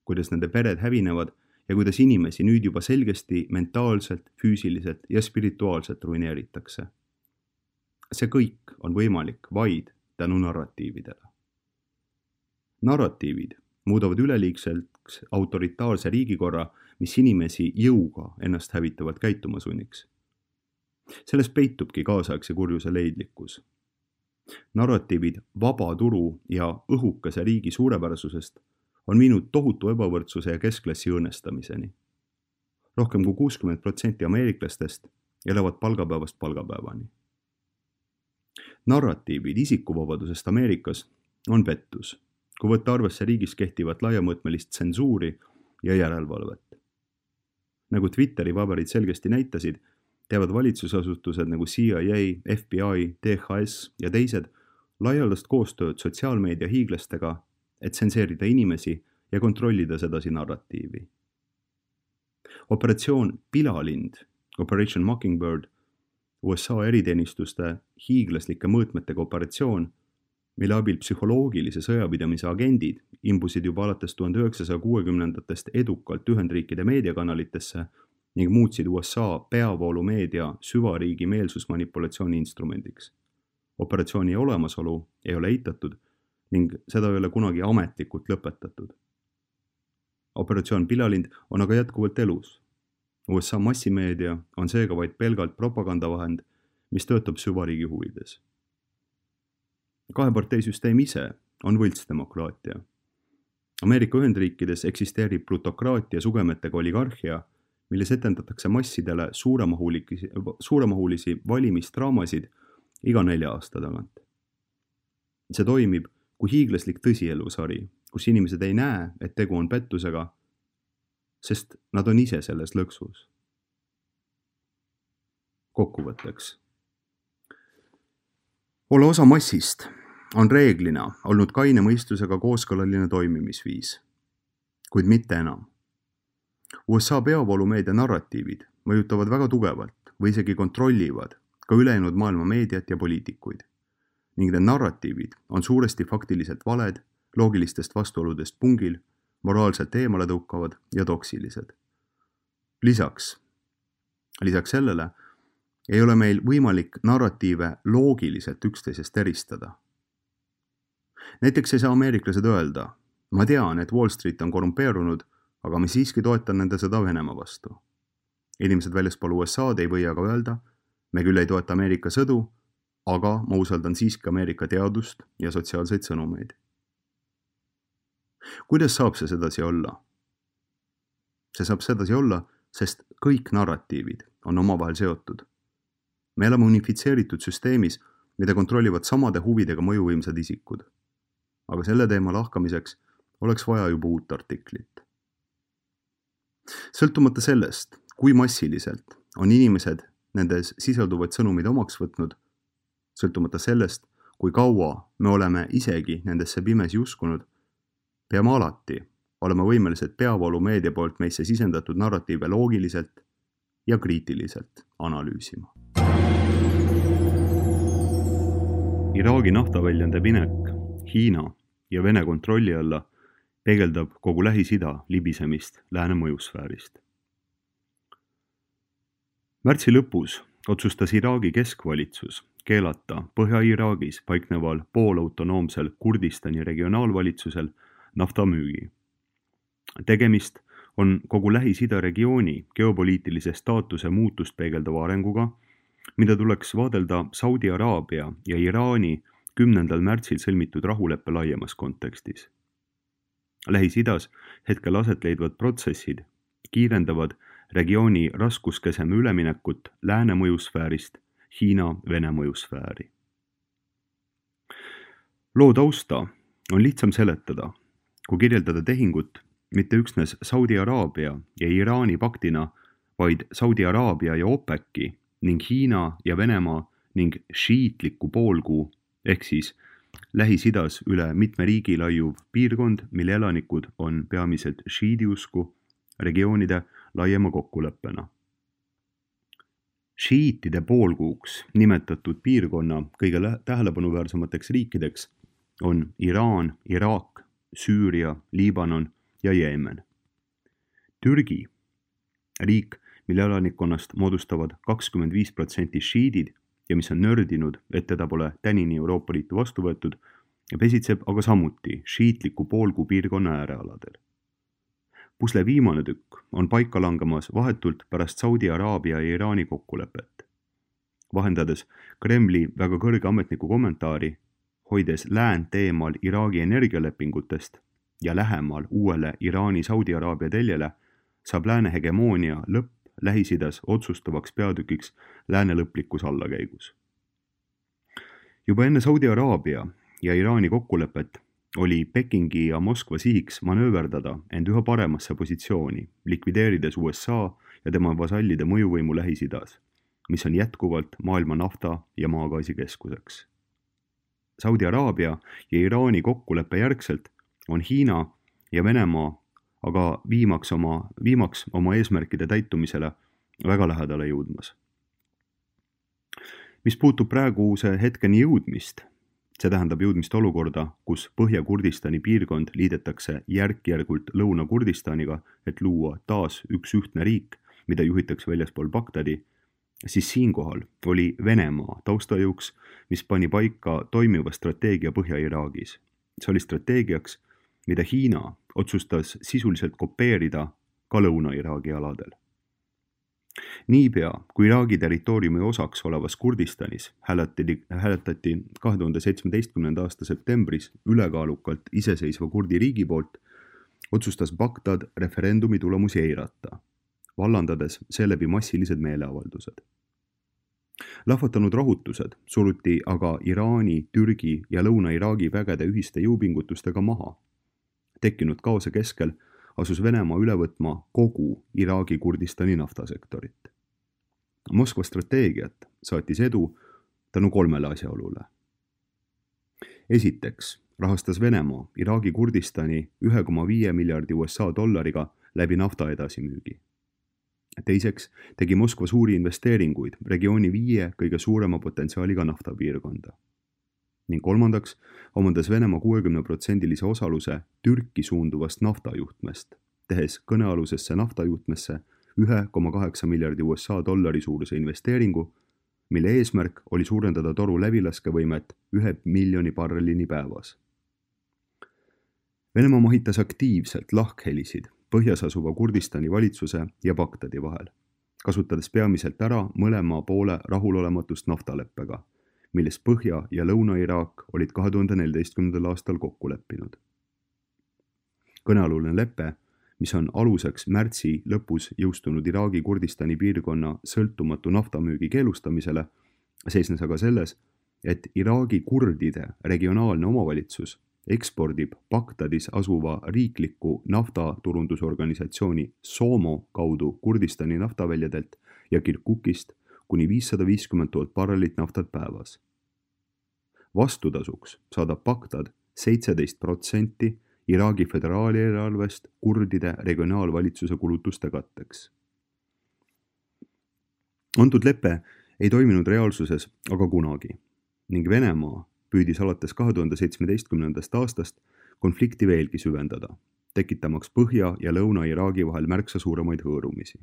kuidas nende pered hävinevad ja kuidas inimesi nüüd juba selgesti mentaalselt, füüsiliselt ja spirituaalselt ruineeritakse. See kõik on võimalik vaid tänu narratiividele. Narratiivid muudavad üleliigselt autoritaarse riigikorra, mis inimesi jõuga ennast hävitavalt käituma sunniks. Selles peitubki kaasaegse kurjuse leidlikkus. Narratiivid vaba turu ja õhukese riigi suurepärasusest on viinud tohutu ebavõrdsuse ja keskklassi õõnestamiseni. Rohkem kui kuuskümmend protsenti ameeriklastest elavad palgapäevast palgapäevani. Narratiivid isikuvabadusest Ameerikas on pettus, kui võtta arvesse riigis kehtivat laiamõõtmelist tsensuuri ja järelevalvet. Nagu Twitteri paberid selgesti näitasid, teevad valitsusasutused nagu C I A, F B I, D H S ja teised laialdast koostööd sotsiaalmeedia hiiglastega, et tsenseerida inimesi ja kontrollida sedasi narratiivi. Operatsioon Pilalind, Operation Mockingbird, U S A eriteenistuste hiiglaslike mõõtmetega operatsioon, mille abil psühholoogilise sõjapidamise agendid imbusid juba alates tuhande üheksasaja kuuekümnendatest edukalt Ühendriikide meediakanalitesse ning muutsid U S A peavoolumeedia süvariigi meelsusmanipulatsiooni instrumendiks. Operatsiooni olemasolu ei ole eitatud ning seda ei ole kunagi ametlikult lõpetatud. Operatsioon Pilalind on aga jätkuvalt elus. U S A massimeedia on seega vaid pelgalt propagandavahend, mis töötab süvariigi huvides. Kaheparteisüsteem ise on võltsdemokraatia. Ameerika Ühendriikides eksisteerib plutokraatia sugemetega oligarhia, milles etendatakse massidele suuremahulisi, suuremahulisi valimisdraamasid iga nelja aasta tagant. See toimib kui hiiglaslik tõsielusari, kus inimesed ei näe, et tegu on pettusega, sest nad on ise selles lõksus. Kokkuvõtteks. Ole osa massist on reeglina olnud kaine mõistusega kooskõlaline toimimisviis, kuid mitte enam. U S A peavoolumeedia narratiivid mõjutavad väga tugevalt või isegi kontrollivad ka ülejäänud maailma meediat ja poliitikuid. Ning need narratiivid on suuresti faktiliselt valed, loogilistest vastuoludest pungil, moraalselt eemale tõukavad ja toksilised. Lisaks, lisaks sellele ei ole meil võimalik narratiive loogiliselt üksteisest eristada. Näiteks ei saa ameeriklased öelda, ma tean, et Wall Street on korrumpeerunud, aga ma siiski toetan nende sõda Venemaa vastu. Inimesed väljaspool U S A-d ei või aga öelda, me küll ei toeta Ameerika sõdu, aga ma usaldan siiski Ameerika teadust ja sotsiaalseid sõnumeid. Kuidas saab see sedasi olla? See saab sedasi olla, sest kõik narratiivid on omavahel seotud. Me elame unifitseeritud süsteemis, mida kontrollivad samade huvidega mõjuvõimsad isikud. Aga selle teema lahkamiseks oleks vaja juba uut artiklit. Sõltumata sellest, kui massiliselt on inimesed nendes sisalduvaid sõnumid omaks võtnud, sõltumata sellest, kui kaua me oleme isegi nendesse pimesi uskunud, peame alati olema võimelised peavoolumeedia poolt meisse sisendatud narratiive loogiliselt ja kriitiliselt analüüsima. Iraagi naftaväljande minek Hiina ja Vene kontrolli alla peegeldab kogu Lähis-Ida libisemist lääne mõjusfäärist. Märtsi lõpus otsustas Iraagi keskvalitsus keelata Põhja-Iraagis paikneval poolautonoomsel Kurdistani regionaalvalitsusel naftamüügi. Tegemist on kogu Lähis-Ida regiooni geopoliitilise staatuse muutust peegeldava arenguga, mida tuleks vaadelda Saudi Araabia ja Iraani kümnendal märtsil sõlmitud rahuleppe laiemas kontekstis. Lähis-Idas hetkel aset leidvad protsessid kiirendavad regiooni raskuskeseme üleminekut lääne mõjusfäärist Hiina-Vene mõjusfääri. Loo tausta on lihtsam seletada, kui kirjeldada tehingut mitte üksnes Saudi Araabia ja Iraani paktina, vaid Saudi Araabia ja OPEC-i ning Hiina ja Venemaa ning šiitliku poolkuu ehk siis Lähis-Idas üle mitme riigi laiuv piirkond, mille elanikud on peamiselt šiidiusku regioonide laiema kokkuleppena. Šiitide poolkuuks nimetatud piirkonna kõige tähelepanuväärsemateks riikideks on Iraan, Iraak, Süüria, Liibanon ja Jeemen. Türgi, riik, mille elanikkonnast moodustavad kakskümmend viis protsenti šiidid ja mis on nördinud, et teda pole tänini Euroopa Liitu vastu võetud, pesitseb aga samuti šiitliku poolkuu piirkonna äärealadel. Pusle viimane tükk on paika langemas vahetult pärast Saudi Araabia ja Iraani kokkulepet. Vahendades Kremli väga kõrge ametniku kommentaari, hoides läänt eemal Iraagi energialepingutest ja lähemal uuele Iraani-Saudi Araabia teljele, saab lääne hegemoonia lõpp Lähis-Idas otsustavaks peatükiks lääne lõplikus allakäigus. Juba enne Saudi Araabia ja Iraani kokkulepet oli Pekingi ja Moskva sihiks manööverdada end üha paremasse positsiooni, likvideerides U S A ja tema vasallide mõjuvõimu Lähis-Idas, mis on jätkuvalt maailma nafta ja maagaasi keskuseks. Saudi Araabia ja Iraani kokkuleppe järgselt on Hiina ja Venemaa aga viimaks oma, viimaks oma eesmärkide täitumisele väga lähedale jõudmas. Mis puutub praeguse hetkeni jõudmist, see tähendab jõudmist olukorda, kus Põhja-Kurdistani piirkond liidetakse järk-järgult Lõuna-Kurdistaniga, et luua taas üks ühtne riik, mida juhitakse väljaspool Bagdadi, siis siinkohal oli Venemaa taustajõuks, mis pani paika toimiva strateegia Põhja-Iraagis. See oli strateegiaks, mida Hiina otsustas sisuliselt kopeerida ka Lõuna-Iraagi aladel. Niipea, kui Iraagi territooriumi osaks olevas Kurdistanis hääletati, hääletati kahe tuhande seitsmeteistkümnenda aasta septembris ülekaalukalt iseseisva kurdi riigi poolt, otsustas Bagdad referendumi tulemusi eirata, vallandades seeläbi massilised meeleavaldused. Lahvatanud rahutused suruti aga Iraani, Türgi ja Lõuna-Iraagi vägede ühiste jõupingutustega maha. Tekkinud kaose keskel asus Venemaa üle võtma kogu Iraagi Kurdistani naftasektorit. Moskva strateegiat saatis edu tänu kolmele asjaolule. Esiteks rahastas Venemaa Iraagi Kurdistani ühe koma viie miljardi U S A dollariga läbi nafta edasimüügi. Teiseks tegi Moskva suuri investeeringuid regiooni viie kõige suurema potentsiaaliga naftapiirkonda. Ning kolmandaks omandas Venemaa kuuekümne protsendilise osaluse Türki suunduvast naftajuhtmest, tehes kõnealusesse naftajuhtmesse ühe koma kaheksa miljardi U S A dollari suuruse investeeringu, mille eesmärk oli suurendada toru läbilaskevõimet ühe miljoni barrelini päevas. Venemaa mahitas aktiivselt lahkhelisid põhjas asuva Kurdistani valitsuse ja Bagdadi vahel, kasutades peamiselt ära mõlema poole rahulolematust naftaleppega, milles Põhja- ja Lõuna-Iraak olid kahe tuhande neljateistkümnendal aastal kokku leppinud. Kõnealune lepe, mis on aluseks märtsi lõpus jõustunud Iraagi Kurdistani piirkonna sõltumatu naftamüügi keelustamisele, seisnes aga selles, et Iraagi kurdide regionaalne omavalitsus ekspordib Bagdadis asuva riikliku naftaturundusorganisatsiooni SOMO kaudu Kurdistani naftaväljadelt ja Kirkukist kuni viissada viiskümmend tuhat barrelit naftat päevas. Vastutasuks saadab Bagdad seitseteist protsenti Iraagi föderaalieelarvest kurdide regionaalvalitsuse kulutuste katteks. Antud lepe ei toiminud reaalsuses aga kunagi ning Venemaa püüdis alates kahe tuhande seitsmeteistkümnendast aastast konflikti veelgi süvendada, tekitamaks Põhja- ja Lõuna-Iraagi vahel märksa suuremaid hõõrumisi.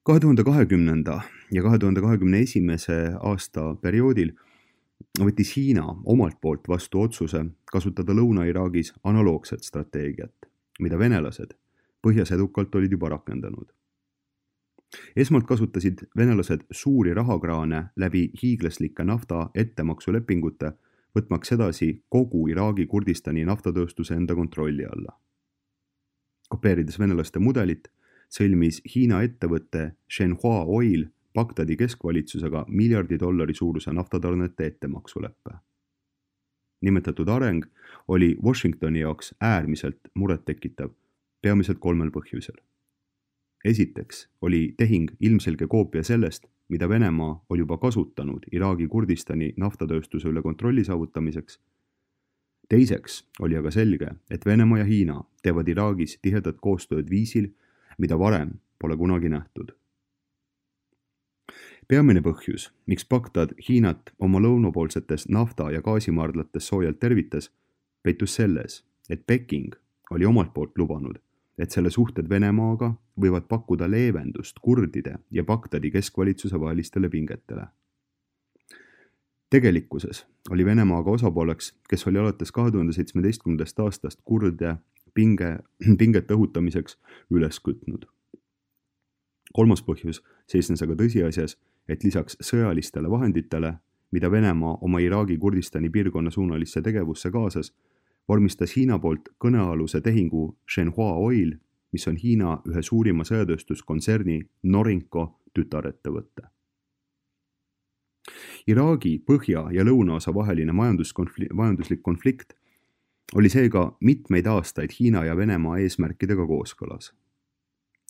kahe tuhande kahekümnenda ja kahe tuhande kahekümne esimese aasta perioodil võttis Hiina omalt poolt vastu otsuse kasutada Lõuna-Iraagis analoogset strateegiat, mida venelased põhjas edukalt olid juba rakendanud. Esmalt kasutasid venelased suuri rahakraane läbi hiiglaslike nafta ettemaksulepingute, võtmaks edasi kogu Iraagi Kurdistani naftatööstuse enda kontrolli alla. Kopeerides venelaste mudelit, sõlmis Hiina ettevõtte Shenhua Oil Bagdadi keskvalitsusega miljardi dollari suuruse naftatarnete ettemaksuleppe. Nimetatud areng oli Washingtoni jaoks äärmiselt murettekitav, peamiselt kolmel põhjusel. Esiteks oli tehing ilmselge koopia sellest, mida Venemaa oli juba kasutanud Iraagi Kurdistani naftatööstuse üle kontrolli saavutamiseks. Teiseks oli aga selge, et Venemaa ja Hiina teevad Iraagis tihedat koostööd viisil, mida varem pole kunagi nähtud. Peamine põhjus, miks Bagdad Hiinat oma lõunapoolsetes nafta- ja gaasimaardlates soojalt tervitas, peitus selles, et Peking oli omalt poolt lubanud, et selle suhted Venemaaga võivad pakkuda leevendust kurdide ja Bagdadi keskvalitsuse vahelistele pingetele. Tegelikkuses oli Venemaaga osapooleks, kes oli alates kahe tuhande seitsmeteistkümnendast aastast kurde pinge, pinget õhutamiseks üles kütnud. Kolmas põhjus seisnes aga tõsiasjas, et lisaks sõjalistele vahenditele, mida Venemaa oma Iraagi Kurdistani piirkonna suunalisse tegevusse kaasas, vormistas Hiina poolt kõnealuse tehingu Shenhua Oil, mis on Hiina ühe suurima sõjatööstuskontserni Norinco tütarettevõtte. Iraagi põhja- ja lõunaosa vaheline majanduslik konflikt oli seega mitmeid aastaid Hiina ja Venemaa eesmärkidega kooskõlas.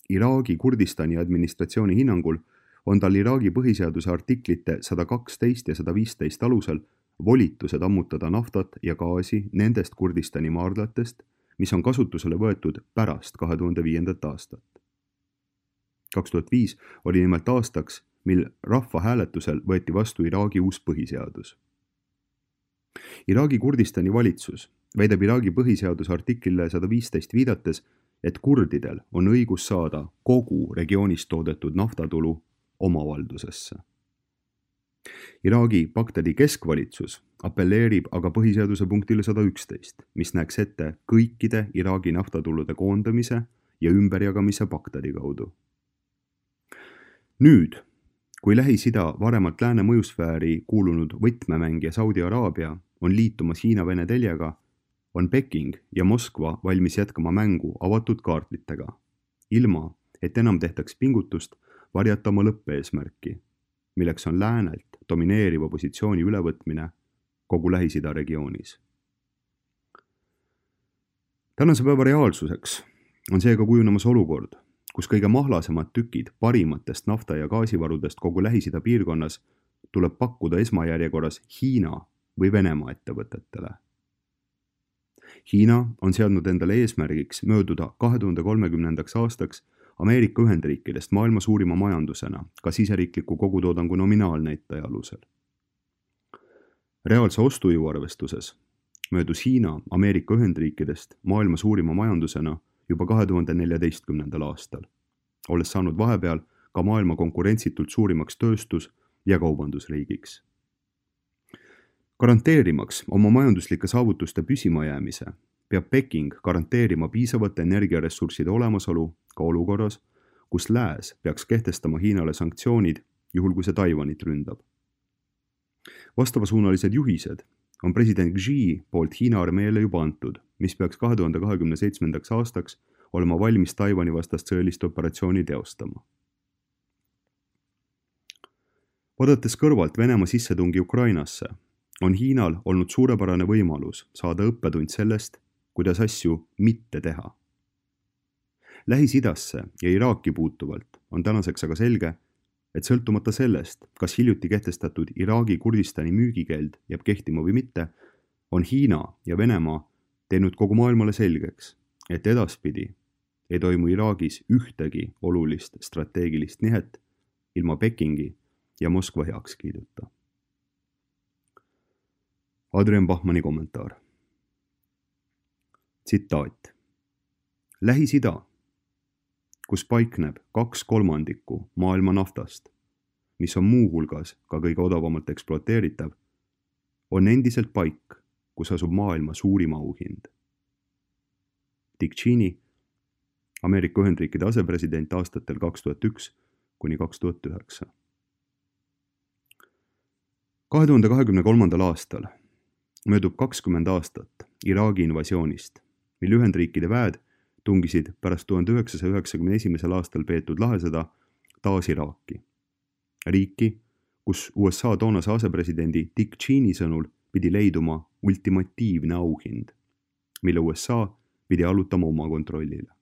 Iraagi Kurdistani administratsiooni hinnangul on tal Iraagi põhiseaduse artiklite sada kaksteist ja sada viisteist alusel volitused ammutada naftat ja gaasi nendest Kurdistani maardlatest, mis on kasutusele võetud pärast kahe tuhande viiendat aastat. kaks tuhat viis oli nimelt aastaks, mil rahvahääletusel võeti vastu Iraagi uus põhiseadus. Iraagi Kurdistani valitsus väidab Iraagi põhiseaduse artiklile sada viisteist viidates, et kurdidel on õigus saada kogu regioonis toodetud naftatulu omavaldusesse. Iraagi Bagdadi keskvalitsus apelleerib aga põhiseaduse punktile sada üksteist, mis näeks ette kõikide Iraagi naftatulude koondamise ja ümberjagamise Bagdadi kaudu. Nüüd, kui Lähis-Ida varemalt lääne mõjusfääri kuulunud võtmemängija Saudi Araabia on liitumas Hiina-Vene teljega, on Peking ja Moskva valmis jätkama mängu avatud kaartlitega, ilma et enam tehtaks pingutust varjata oma lõppeesmärki, milleks on läänelt domineeriva positsiooni ülevõtmine kogu Lähis-Ida regioonis. Tänase päeva reaalsuseks on seega kujunemas olukord, kus kõige mahlasemad tükid parimatest nafta- ja gaasivarudest kogu Lähis-Ida piirkonnas tuleb pakkuda esmajärjekorras Hiina või Venemaa ettevõtetele. Hiina on seadnud endale eesmärgiks mööduda kahe tuhande kolmekümnendaks aastaks Ameerika Ühendriikidest maailma suurima majandusena ka siseriikliku kogutoodangu nominaalnäitaja alusel. Reaalse ostujõu arvestuses möödus Hiina Ameerika Ühendriikidest maailma suurima majandusena juba kahe tuhande neljateistkümnendal aastal, olles saanud vahepeal ka maailma konkurentsitult suurimaks tööstus- ja kaubandusriigiks. Garanteerimaks oma majanduslike saavutuste püsimajäämise, peab Peking garanteerima piisavate energiaressursside olemasolu ka olukorras, kus lääs peaks kehtestama Hiinale sanktsioonid, juhul kui see Taiwanit ründab. Vastavasuunalised juhised on president Xi poolt Hiina armeele juba antud, mis peaks kahe tuhande kahekümne seitsmendaks aastaks olema valmis Taiwani vastast sõjalist operatsiooni teostama. Vaadates kõrvalt Venemaa sissetungi Ukrainasse, on Hiinal olnud suurepärane võimalus saada õppetund sellest, kuidas asju mitte teha. Lähis-Idasse ja Iraaki puutuvalt on tänaseks aga selge, et sõltumata sellest, kas hiljuti kehtestatud Iraagi Kurdistani müügikeeld jääb kehtima või mitte, on Hiina ja Venemaa teinud kogu maailmale selgeks, et edaspidi ei toimu Iraagis ühtegi olulist strateegilist nihet ilma Pekingi ja Moskva heakskiiduta. Adrian Bachmanni kommentaar. tsitaat. Lähis-Ida, kus paikneb kaks kolmandikku maailma naftast, mis on muuhulgas ka kõige odavamalt ekspluateeritav, on endiselt paik, kus asub maailma suurim auhind. Dick Cheney, Ameerika Ühendriikide asepresident aastatel kaks tuhat üks kuni kaks tuhat üheksa. kahe tuhande kahekümne kolmandal aastal möödub kakskümmend aastat Iraagi invasioonist, mil Ühendriikide väed tungisid pärast tuhande üheksasaja üheksakümne esimesel aastal peetud lahesõda taas Iraaki. Riiki, kus U S A toonase asepresidendi Dick Cheney sõnul pidi leiduma ultimatiivne auhind, mille U S A pidi allutama oma kontrollile.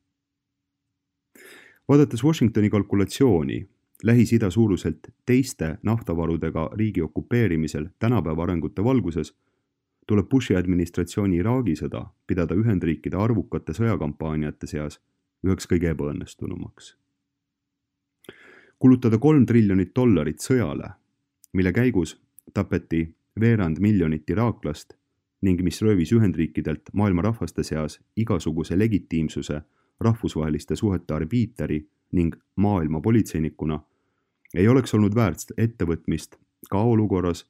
Vaadates Washingtoni kalkulatsiooni Lähis-Ida suuruselt teiste naftavarudega riigi okupeerimisel tänapäeva arengute valguses, tuleb Bushi administratsiooni Iraagi sõda pidada Ühendriikide arvukate sõjakampaaniate seas üheks kõige ebaõnnestunumaks. Kulutada kolm triljonit dollarit sõjale, mille käigus tapeti veerand miljonit iraaklast ning mis röövis Ühendriikidelt maailma rahvaste seas igasuguse legitiimsuse rahvusvaheliste suhete arbiiteri ning maailma politseinikuna, ei oleks olnud väärt ettevõtmist ka olukorras,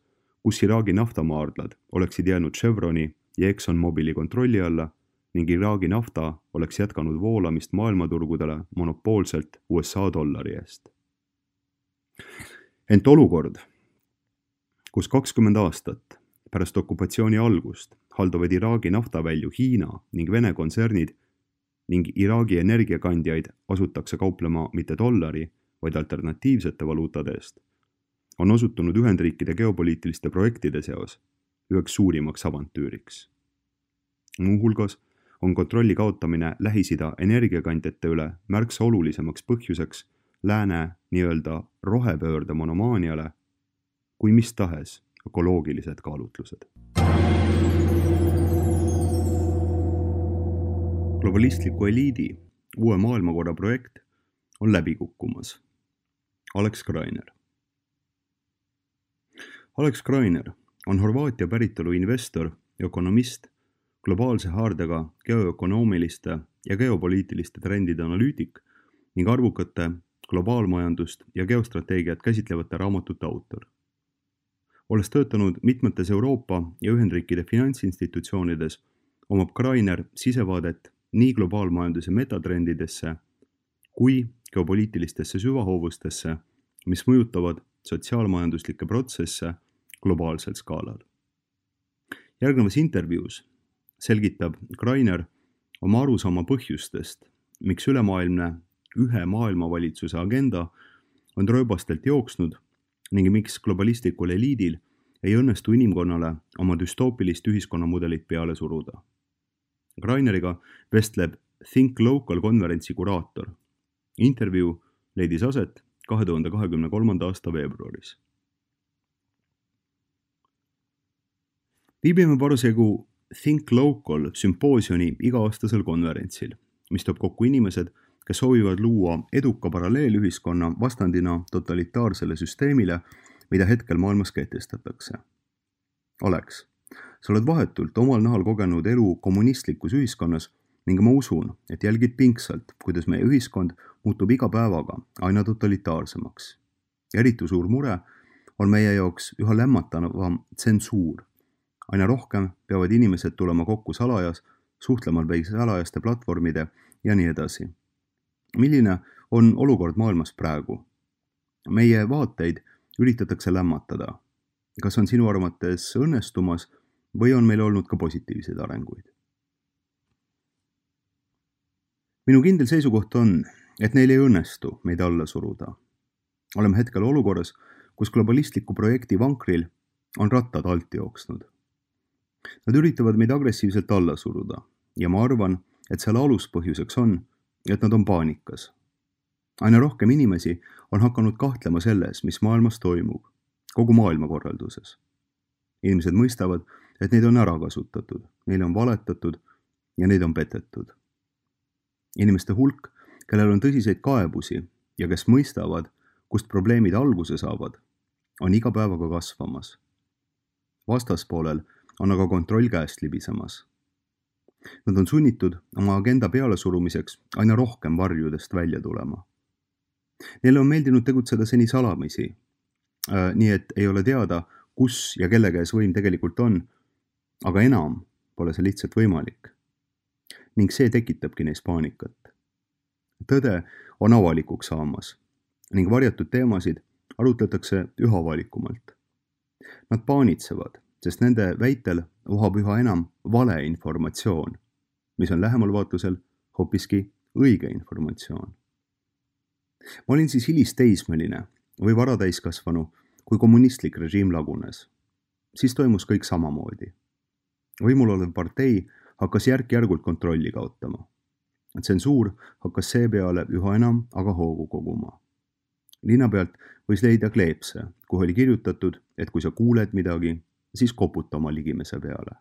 kus Iraagi naftamaardlad oleksid jäänud Chevroni ja ExxonMobili kontrolli alla ning Iraagi nafta oleks jätkanud voolamist maailmaturgudele monopoolselt U S A dollari eest. Ent olukord, kus kakskümmend aastat pärast okupatsiooni algust haldavad Iraagi naftavälju Hiina ning Vene kontsernid ning Iraagi energiakandjaid asutakse kauplema mitte dollari, vaid alternatiivsete valuutade eest, on osutunud Ühendriikide geopoliitiliste projektide seos üheks suurimaks avantüüriks. Muuhulgas on kontrolli kaotamine Lähis-Ida energiakandjate üle märksa olulisemaks põhjuseks lääne nii-öelda rohepöörde monomaaniale kui mis tahes ökoloogilised kaalutlused. Globalistliku eliidi uue maailmakorra projekt on läbi kukkumas. Alex Greiner. Alex Greiner on Horvaatia päritolu investor, ökonomist, globaalse haardega geoökonoomiliste ja geopoliitiliste trendide analüütik ning arvukate globaalmajandust ja geostrateegiat käsitlevate raamatute autor. Olles töötanud mitmetes Euroopa ja Ühendriikide finantsinstitutsioonides, omab Greiner sisevaadet nii globaalmajanduse metatrendidesse kui geopoliitilistesse süvahoovustesse, mis mõjutavad sotsiaalmajanduslikke protsesse globaalsel skaalal. Järgnevas intervjuus selgitab Greiner oma arusaama põhjustest, miks ülemaailmne ühe maailmavalitsuse agenda on rööbastelt jooksnud ning miks globalistlikul eliidil ei õnnestu inimkonnale oma düstoopilist ühiskonnamudelit peale suruda. Greineriga vestleb Think Local konverentsi kuraator. Intervjuu leidis aset kahe tuhande kahekümne kolmanda aasta veebruaris. Viibime parasjagu Think Local sümpoosioni iga-aastasel konverentsil, mis toob kokku inimesed, kes soovivad luua eduka paralleelühiskonna vastandina totalitaarsele süsteemile, mida hetkel maailmas kehtestatakse. Alex, sa oled vahetult omal nahal kogenud elu kommunistlikus ühiskonnas ning ma usun, et jälgid pingsalt, kuidas meie ühiskond muutub iga päevaga aina totalitaarsemaks. Eriti suur mure on meie jaoks üha lämmatavam tsensuur. Aina rohkem peavad inimesed tulema kokku salajas, suhtlemal või salajaste platvormide ja nii edasi. Milline on olukord maailmas praegu? Meie vaateid üritatakse lämmatada. Kas on sinu arvates õnnestumas või on meil olnud ka positiivseid arenguid? Minu kindel seisukoht on, et neil ei õnnestu meid alla suruda. Oleme hetkel olukorras, kus globalistliku projekti vankril on rattad alt jooksnud. Nad üritavad meid agressiivselt alla suruda ja ma arvan, et selle aluspõhjuseks on, et nad on paanikas. Aina rohkem inimesi on hakanud kahtlema selles, mis maailmas toimub, kogu maailmakorralduses. Inimesed mõistavad, et neid on ära kasutatud, neile on valetatud ja neid on petetud. Inimeste hulk, kellel on tõsiseid kaebusi ja kes mõistavad, kust probleemid alguse saavad, on iga päevaga kasvamas. Vastaspoolel on aga kontroll käest libisemas. Nad on sunnitud oma agenda pealesurumiseks aina rohkem varjudest välja tulema. Neile on meeldinud tegutseda seni salamisi, äh, nii et ei ole teada, kus ja kelle käes võim tegelikult on, aga enam pole see lihtsalt võimalik. Ning see tekitabki neis paanikat. Tõde on avalikuks saamas ning varjatud teemasid arutletakse üha avalikumalt. Nad paanitsevad, sest nende väitel vohab üha enam valeinformatsioon, mis on lähemal vaatlusel hoopiski õige informatsioon. Ma olin siis hilisteismeline või varatäiskasvanu, kui kommunistlik režiim lagunes. Siis toimus kõik samamoodi. Võimul olev partei hakkas järk-järgult kontrolli kaotama. Tsensuur hakkas seepeale üha enam aga hoogu koguma. Linna pealt võis leida kleepse, kuhu oli kirjutatud, et kui sa kuuled midagi, siis koputa oma ligimese peale.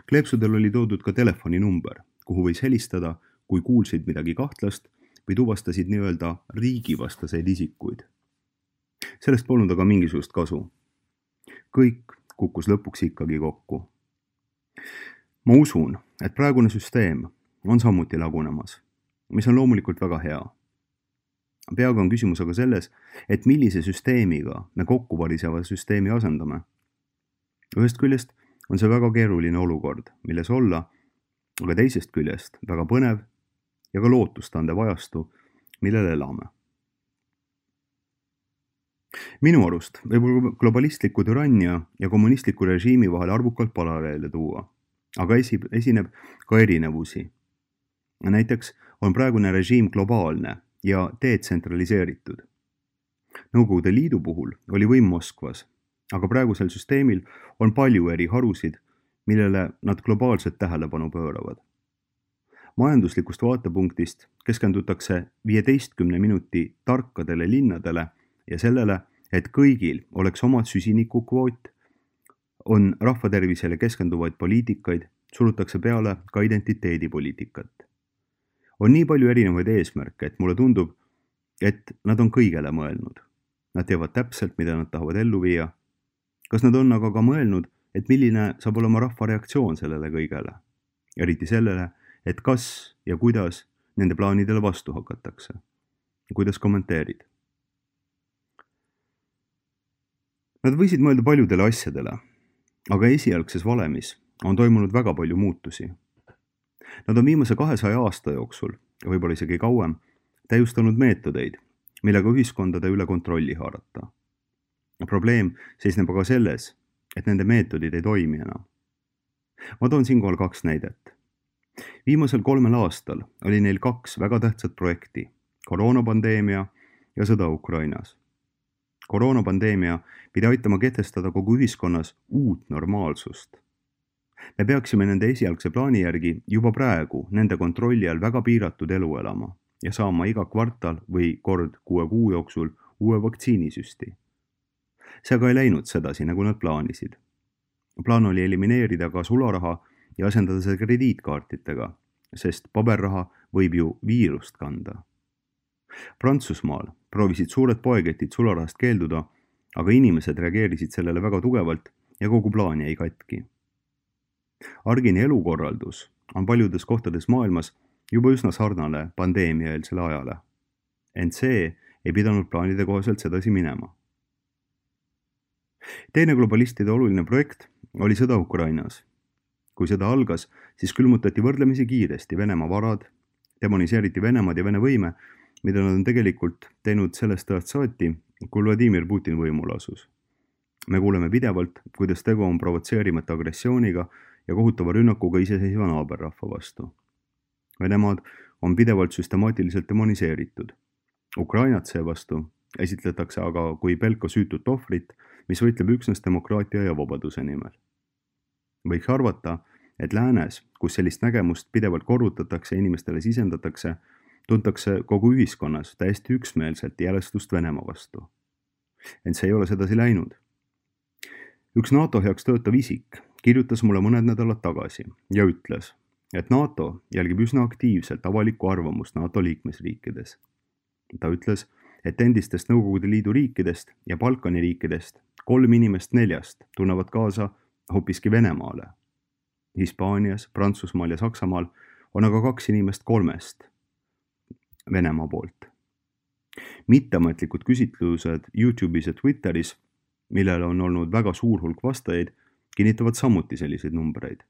Kleepsudel oli toodud ka telefoninumber, kuhu võis helistada, kui kuulsid midagi kahtlast või tuvastasid nii-öelda riigivastaseid isikuid. Sellest polnud aga mingisugust kasu. Kõik kukkus lõpuks ikkagi kokku. Ma usun, et praegune süsteem on samuti lagunemas, mis on loomulikult väga hea. Peaga on küsimus aga selles, et millise süsteemiga me kokku variseva süsteemi asendame. Ühest küljest on see väga keeruline olukord, milles olla, aga teisest küljest väga põnev ja ka lootustandev ajastu, millel elame. Minu arust võib globalistliku türannia ja kommunistliku režiimi vahel arvukalt paralleele tuua, aga esineb ka erinevusi. Näiteks on praegune režiim globaalne ja detsentraliseeritud. Nõukogude Liidu puhul oli võim Moskvas, aga praegusel süsteemil on palju eri harusid, millele nad globaalselt tähelepanu pööravad. Majanduslikust vaatepunktist keskendutakse viieteistkümne minuti tarkadele linnadele ja sellele, et kõigil oleks omad süsinikukvoot, on rahvatervisele keskenduvaid poliitikaid, surutakse peale ka identiteedipoliitikat. On nii palju erinevaid eesmärke, et mulle tundub, et nad on kõigele mõelnud. Nad teavad täpselt, mida nad tahavad ellu viia. Kas nad on aga ka mõelnud, et milline saab olema rahva reaktsioon sellele kõigele? Eriti sellele, et kas ja kuidas nende plaanidele vastu hakatakse. Kuidas kommenteerid? Nad võisid mõelda paljudele asjadele, aga esialgses valemis on toimunud väga palju muutusi. Nad on viimase kahesaja aasta jooksul, võib-olla isegi kauem, täiustanud meetodeid, millega ühiskondade üle kontrolli haarata. Probleem seisneb aga selles, et nende meetodid ei toimi enam. Ma toon siinkohal kaks näidet. Viimasel kolmel aastal oli neil kaks väga tähtsat projekti, koroonapandeemia ja sõda Ukrainas. Koroonapandeemia pidi aitama kehtestada kogu ühiskonnas uut normaalsust. Me peaksime nende esialgse plaani järgi juba praegu nende kontrolli all väga piiratud elu elama ja saama iga kvartal või kord kuue kuu jooksul uue vaktsiinisüsti. See aga ei läinud sedasi, nagu nad plaanisid. Plaan oli elimineerida ka sularaha ja asendada see krediitkaartidega, sest paberraha võib ju viirust kanda. Prantsusmaal proovisid suured poeketid sularahast keelduda, aga inimesed reageerisid sellele väga tugevalt ja kogu plaan jäi katki. Argini elukorraldus on paljudes kohtades maailmas juba üsna sarnane pandeemiaeelsele ajale. Ent see ei pidanud plaanide kohaselt sedasi minema. Teine globalistide oluline projekt oli sõda Ukrainas. Kui sõda algas, siis külmutati võrdlemisi kiiresti Venemaa varad, demoniseeriti Venemaad ja Vene võime, mida nad on tegelikult teinud sellest ajast saati, kui Vladimir Putin võimul asus. Me kuuleme pidevalt, kuidas tegu on provotseerimata agressiooniga ja kohutava rünnakuga iseseisva naaberrahva vastu. Venemaad on pidevalt süstemaatiliselt demoniseeritud. Ukrainat seevastu esitletakse aga kui pelko süütut ohvrit, mis võitleb üksnes demokraatia ja vabaduse nimel. Võiks arvata, et läänes, kus sellist nägemust pidevalt korrutatakse ja inimestele sisendatakse, tuntakse kogu ühiskonnas täiesti üksmeelselt järestust Venemaa vastu. Ent see ei ole sedasi läinud. Üks NATO heaks töötav isik kirjutas mulle mõned nädalad tagasi ja ütles, et NATO jälgib üsna aktiivselt avalikku arvamust NATO liikmesriikides. Ta ütles, et endistest Nõukogude Liidu riikidest ja Balkani riikidest kolm inimest neljast tunnevad kaasa hoopiski Venemaale. Hispaanias, Prantsusmaal ja Saksamaal on aga kaks inimest kolmest Venemaa poolt. Mitteametlikud küsitlused YouTube'is ja Twitteris, millele on olnud väga suur hulk vastajaid, kinnitavad samuti selliseid numbreid.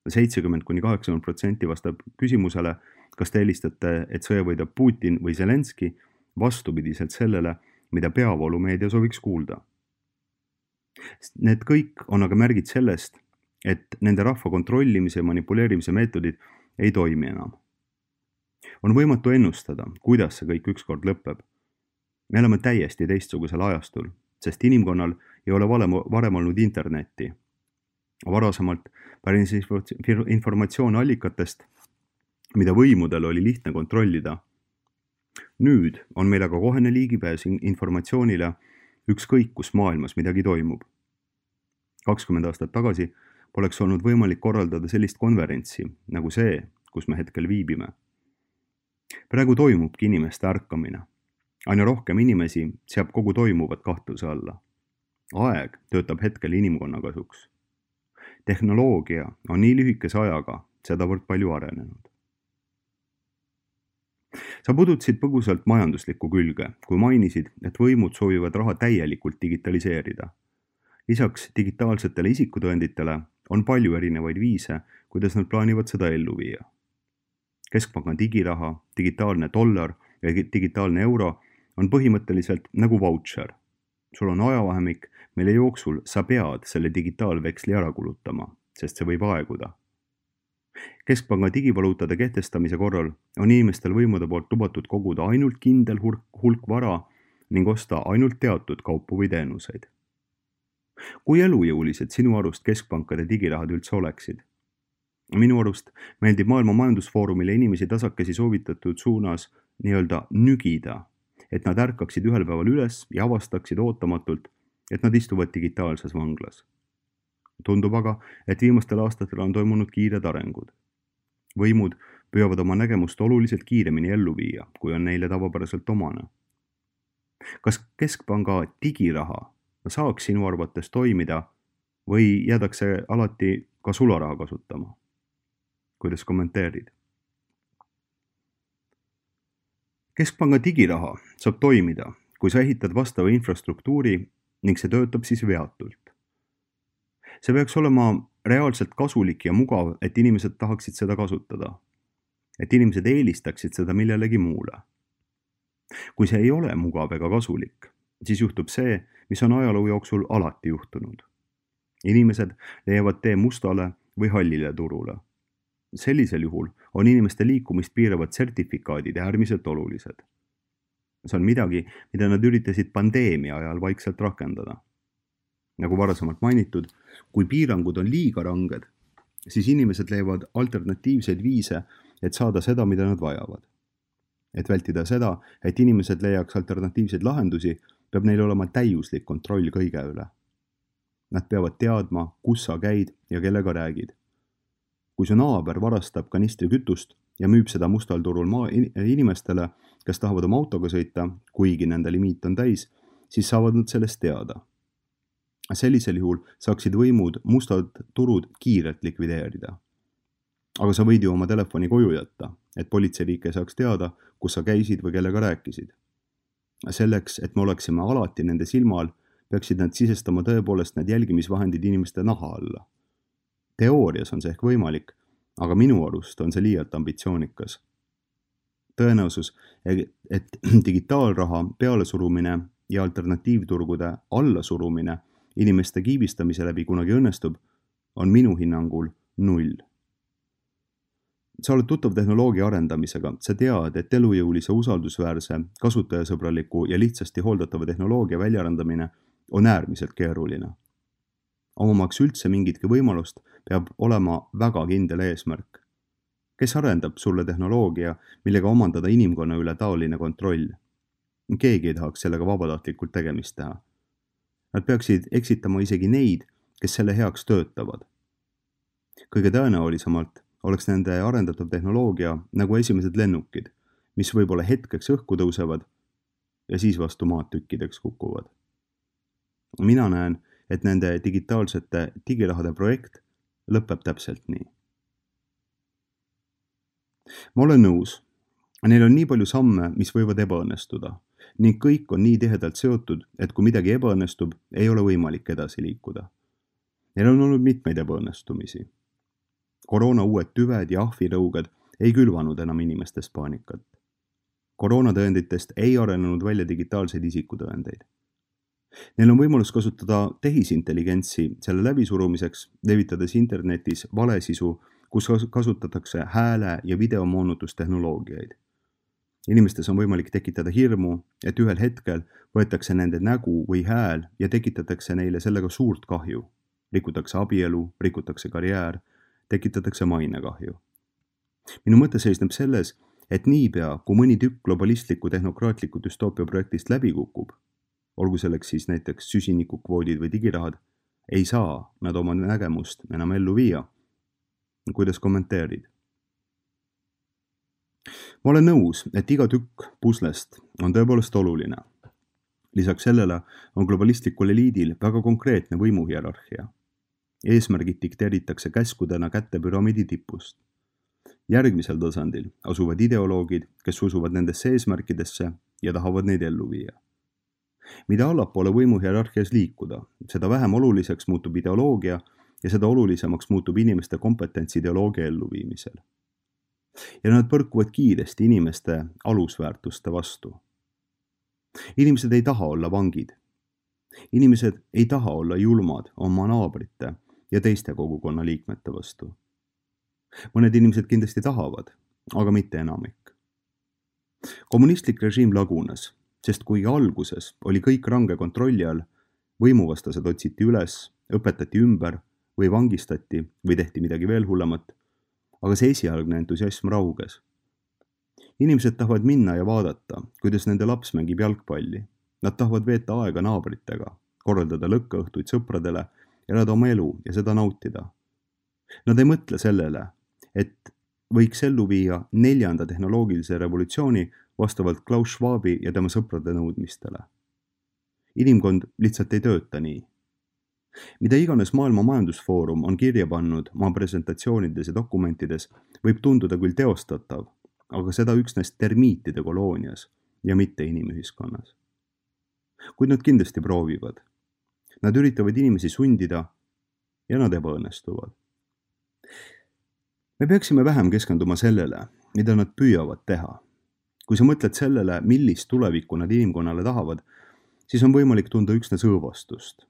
seitsekümmend kuni kaheksakümmend protsenti vastab küsimusele, kas te helistate, et sõja võidab Putin või Zelenski, vastupidiselt sellele, mida peavoolumeedia sooviks kuulda. Need kõik on aga märgid sellest, et nende rahva kontrollimise ja manipuleerimise meetodid ei toimi enam. On võimatu ennustada, kuidas see kõik ükskord lõpeb. Me oleme täiesti teistsugusel ajastul, sest inimkonnal ei ole varem olnud internetti. Varasemalt pärines informatsioon allikatest, mida võimudel oli lihtne kontrollida. Nüüd on meil aga kohene ligipääs informatsioonile ükskõik, kus maailmas midagi toimub. kakskümmend aastat tagasi poleks olnud võimalik korraldada sellist konverentsi nagu see, kus me hetkel viibime. Praegu toimubki inimeste ärkamine. Aina rohkem inimesi seab kogu toimuvat kahtluse alla. Aeg töötab hetkel inimkonna kasuks. Tehnoloogia on nii lühikese ajaga sedavõrd palju arenenud. Sa pudutasid põgusalt majanduslikku külge, kui mainisid, et võimud soovivad raha täielikult digitaliseerida. Lisaks digitaalsetele isikutõenditele on palju erinevaid viise, kuidas nad plaanivad seda ellu viia. Keskpanga digiraha, digitaalne dollar ja digitaalne euro on põhimõtteliselt nagu voucher. Sul on ajavahemik, mille jooksul sa pead selle digitaalveksli ära kulutama, sest see võib aeguda. Keskpanga digivaluutade kehtestamise korral on inimestel võimude poolt lubatud koguda ainult kindel hulk, hulk vara ning osta ainult teatud kaupu või teenuseid. Kui elujõulised sinu arust keskpankade digirahad üldse oleksid? Minu arust meeldib Maailma Majandusfoorumile inimesi tasakesi soovitatud suunas nii-öelda nügida, et nad ärkaksid ühel päeval üles ja avastaksid ootamatult, et nad istuvad digitaalses vanglas. Tundub aga, et viimastel aastatel on toimunud kiired arengud. Võimud püüavad oma nägemust oluliselt kiiremini ellu viia, kui on neile tavapäraselt omane. Kas keskpanga digiraha saaks sinu arvates toimida või jäädakse alati ka sularaha kasutama? Kuidas kommenteerid? Keskpanga digiraha saab toimida, kui sa ehitad vastava infrastruktuuri ning see töötab siis veatult. See peaks olema reaalselt kasulik ja mugav, et inimesed tahaksid seda kasutada. Et inimesed eelistaksid seda millelegi muule. Kui see ei ole mugav ega kasulik, siis juhtub see, mis on ajaloo jooksul alati juhtunud. Inimesed leiavad tee mustale või hallile turule. Sellisel juhul on inimeste liikumist piiravad sertifikaadid äärmiselt olulised. See on midagi, mida nad üritasid pandeemia ajal vaikselt rakendada. Nagu varasemalt mainitud, kui piirangud on liiga ranged, siis inimesed leiavad alternatiivseid viise, et saada seda, mida nad vajavad. Et vältida seda, et inimesed leiaks alternatiivseid lahendusi, peab neil olema täiuslik kontroll kõige üle. Nad peavad teadma, kus sa käid ja kellega räägid. Kui su naaber varastab kanistri kütust ja müüb seda mustal turul maa inimestele, kes tahavad oma autoga sõita, kuigi nende limiit on täis, siis saavad nad sellest teada. Sellisel juhul saaksid võimud mustad turud kiirelt likvideerida. Aga sa võid ju oma telefoni koju jätta, et politseiriik ei saaks teada, kus sa käisid või kellega rääkisid. Selleks, et me oleksime alati nende silma all, peaksid nad sisestama tõepoolest need jälgimisvahendid inimeste naha alla. Teoorias on see ehk võimalik, aga minu arust on see liialt ambitsioonikas. Tõenäosus, et digitaalraha pealesurumine ja alternatiivturgude allasurumine inimeste kiibistamise läbi kunagi õnnestub, on minu hinnangul null. Sa oled tuttav tehnoloogia arendamisega, sa tead, et elujõulise, usaldusväärse, kasutajasõbraliku ja lihtsasti hooldatava tehnoloogia väljarandamine on äärmiselt keeruline. Omamaks üldse mingitki võimalust peab olema väga kindel eesmärk. Kes arendab sulle tehnoloogia, millega omandada inimkonna üle taoline kontroll? Keegi ei tahaks sellega vabatahtlikult tegemist teha. Nad peaksid eksitama isegi neid, kes selle heaks töötavad. Kõige tõenäolisemalt oleks nende arendatav tehnoloogia nagu esimesed lennukid, mis võib-olla hetkeks õhku tõusevad ja siis vastu maad tükkideks kukuvad. Mina näen, et nende digitaalsete digirahade projekt lõpeb täpselt nii. Ma olen nõus, neil on nii palju samme, mis võivad ebaõnnestuda ning kõik on nii tihedalt seotud, et kui midagi ebaõnnestub, ei ole võimalik edasi liikuda. Neil on olnud mitmeid ebaõnnestumisi. Koroona uued tüved ja ahvirõuged ei külvanud enam inimestest paanikat. Koroonatõenditest ei arenenud välja digitaalseid isikutõendeid. Neil on võimalus kasutada tehisintelligentsi selle läbisurumiseks, levitades internetis valesisu, kus kasutatakse hääle- ja videomoonutustehnoloogiaid. Inimestes on võimalik tekitada hirmu, et ühel hetkel võetakse nende nägu või hääl ja tekitatakse neile sellega suurt kahju. Rikutakse abielu, rikutakse karjäär, tekitatakse mainekahju. Minu mõte seisneb selles, et niipea, kui mõni tükk globalistliku tehnokraatliku düstoopia projektist läbi kukub, olgu selleks siis näiteks süsinikukvoodid või digirahad, ei saa nad oma nägemust enam ellu viia. Kuidas kommenteerid? Ma olen nõus, et iga tükk puslest on tõepoolest oluline. Lisaks sellele on globalistlikul eliidil väga konkreetne võimuhierarhia. Eesmärgid dikteeritakse käskudena kätte püramiidi tipust. Järgmisel tasandil asuvad ideoloogid, kes usuvad nendesse eesmärkidesse ja tahavad neid ellu viia. Mida allapoole võimuhierarhias liikuda, seda vähem oluliseks muutub ideoloogia ja seda olulisemaks muutub inimeste kompetents ideoloogia elluviimisel. Ja nad põrkuvad kiiresti inimeste alusväärtuste vastu. Inimesed ei taha olla vangid. Inimesed ei taha olla julmad oma naabrite ja teiste kogukonna liikmete vastu. Mõned inimesed kindlasti tahavad, aga mitte enamik. Kommunistlik režiim lagunes, sest kuigi alguses oli kõik range kontrolli all, võimuvastased otsiti üles, õpetati ümber või vangistati või tehti midagi veel hullemat, aga see esialgne entusiasm rauges. Inimesed tahavad minna ja vaadata, kuidas nende laps mängib jalgpalli. Nad tahavad veeta aega naabritega, korraldada lõkkaõhtuid sõpradele, elada oma elu ja seda nautida. Nad ei mõtle sellele, et võiks ellu viia neljanda tehnoloogilise revolutsiooni vastavalt Klaus Schwabi ja tema sõprade nõudmistele. Inimkond lihtsalt ei tööta nii. Mida iganes Maailma Majandusfoorum on kirja pannud oma presentatsioonides ja dokumentides, võib tunduda küll teostatav, aga seda üksnes termiitide koloonias ja mitte inimühiskonnas. Kuid nad kindlasti proovivad. Nad üritavad inimesi sundida ja nad ebaõnnestuvad. Me peaksime vähem keskenduma sellele, mida nad püüavad teha. Kui sa mõtled sellele, millist tulevikku nad inimkonnale tahavad, siis on võimalik tunda üksnes õõvastust.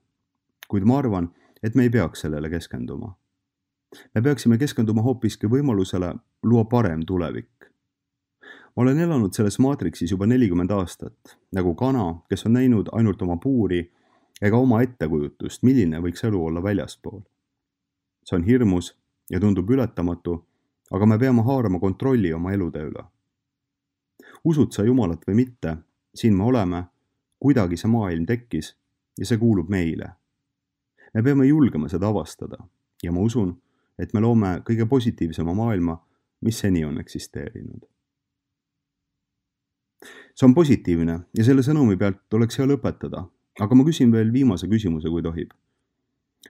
Kuid ma arvan, et me ei peaks sellele keskenduma. Me peaksime keskenduma hoopiski võimalusele luua parem tulevik. Ma olen elanud selles maatriksis juba nelikümmend aastat, nagu kana, kes on näinud ainult oma puuri ega oma ettekujutust, milline võiks elu olla väljaspool. See on hirmus ja tundub ületamatu, aga me peame haarama kontrolli oma elude üle. Usud sa Jumalat või mitte, siin me oleme, kuidagi see maailm tekkis ja see kuulub meile. Me peame julgema seda avastada ja ma usun, et me loome kõige positiivsema maailma, mis seni on eksisteerinud. See on positiivne ja selle sõnumi pealt oleks hea lõpetada, aga ma küsin veel viimase küsimuse, kui tohib.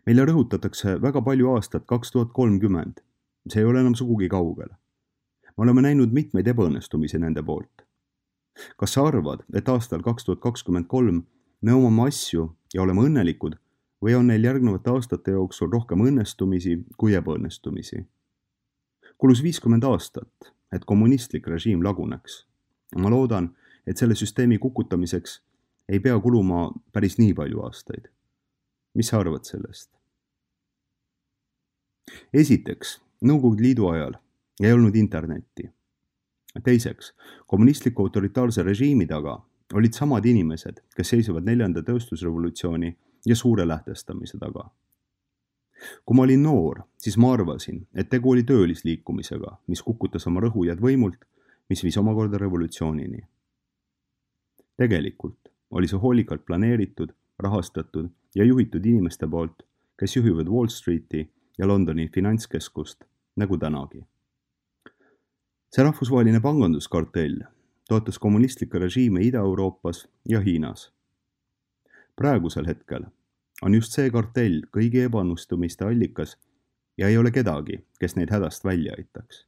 Meile rõhutatakse väga palju aastat kaks tuhat kolmkümmend. See ei ole enam sugugi kaugel. Me oleme näinud mitmeid ebaõnnestumisi nende poolt. Kas sa arvad, et aastal kaks tuhat kakskümmend kolm me omame asju ja oleme õnnelikud või on neil järgnevate aastate jooksul rohkem õnnestumisi kui ebaõnnestumisi? Kulus viiskümmend aastat, et kommunistlik režiim laguneks. Ma loodan, et selle süsteemi kukutamiseks ei pea kuluma päris nii palju aastaid. Mis sa arvad sellest? Esiteks, Nõukogude Liidu ajal ei olnud internetti. Teiseks, kommunistliku autoritaarse režiimi taga olid samad inimesed, kes seisavad neljanda tööstusrevolutsiooni ja suure lähtestamise taga. Kui ma olin noor, siis ma arvasin, et tegu oli töölisliikumisega, mis kukutas oma rõhujad võimult, mis viis omakorda revolutsioonini. Tegelikult oli see hoolikalt planeeritud, rahastatud ja juhitud inimeste poolt, kes juhivad Wall Streeti ja Londoni finantskeskust, nagu tänagi. See rahvusvaheline panganduskartell toetas kommunistlikke režiime Ida-Euroopas ja Hiinas. Praegusel hetkel on just see kartell kõigi ebaõnnestumiste allikas ja ei ole kedagi, kes neid hädast välja aitaks.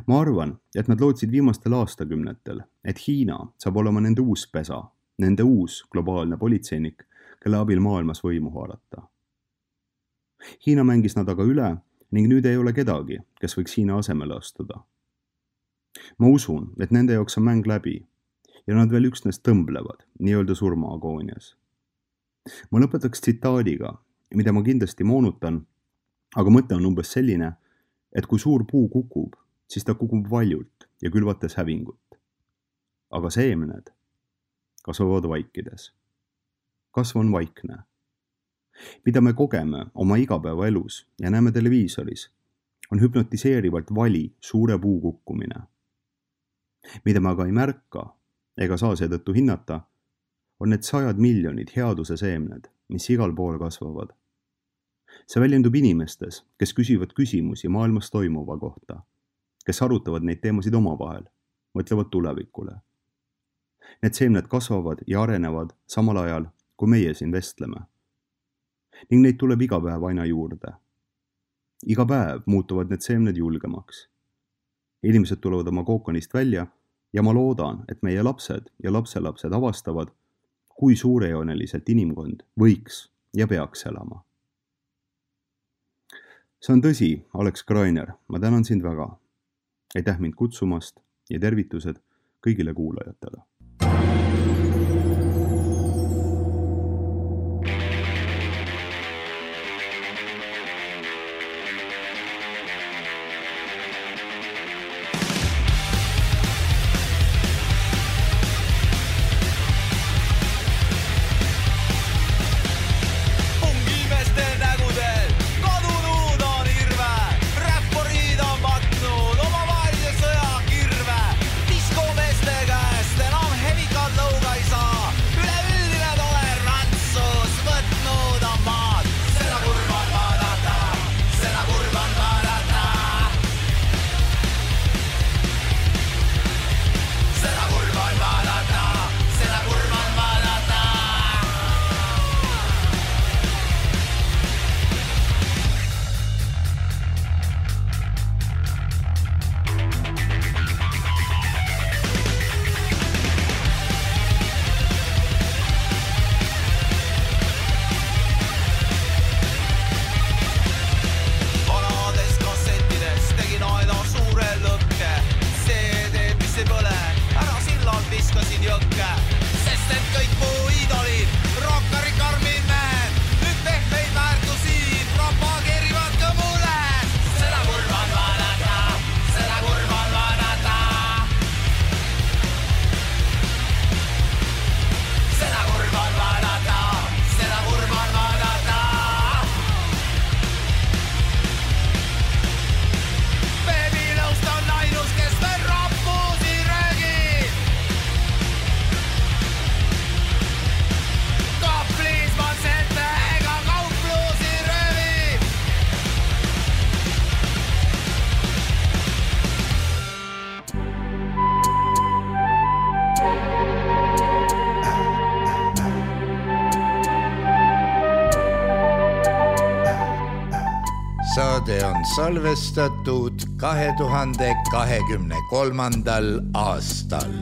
Ma arvan, et nad lootsid viimastel aastakümnetel, et Hiina saab olema nende uus pesa, nende uus globaalne politseinik, kelle abil maailmas võimu haarata. Hiina mängis nad aga üle ning nüüd ei ole kedagi, kes võiks Hiina asemele astuda. Ma usun, et nende jaoks on mäng läbi ja nad veel üksnes tõmblevad nii-öelda surmaagoonias. Ma lõpetaks tsitaadiga, mida ma kindlasti moonutan, aga mõte on umbes selline, et kui suur puu kukub, siis ta kukub valjult ja külvates hävingut. Aga seemned kasvavad vaikides. Kasv on vaikne. Mida me kogeme oma igapäevaelus ja näeme televiisoris, on hüpnotiseerivalt vali suure puu kukkumine. Mida me aga ei märka ega saa seetõttu hinnata, on need sajad miljonid headuse seemned, mis igal pool kasvavad. See väljendub inimestes, kes küsivad küsimusi maailmas toimuva kohta, kes arutavad neid teemasid omavahel, mõtlevad tulevikule. Need seemned kasvavad ja arenevad samal ajal, kui meie siin vestleme. Ning neid tuleb iga päev aina juurde. Iga päev muutuvad need seemned julgemaks. Inimesed tulevad oma kookonist välja ja ma loodan, et meie lapsed ja lapselapsed avastavad, kui suurejooneliselt inimkond võiks ja peaks elama. See on tõsi, Alex Greiner, ma tänan sind väga. Aitäh mind kutsumast ja tervitused kõigile kuulajatele. Saade on salvestatud kahe tuhande kahekümne kolmandal aastal.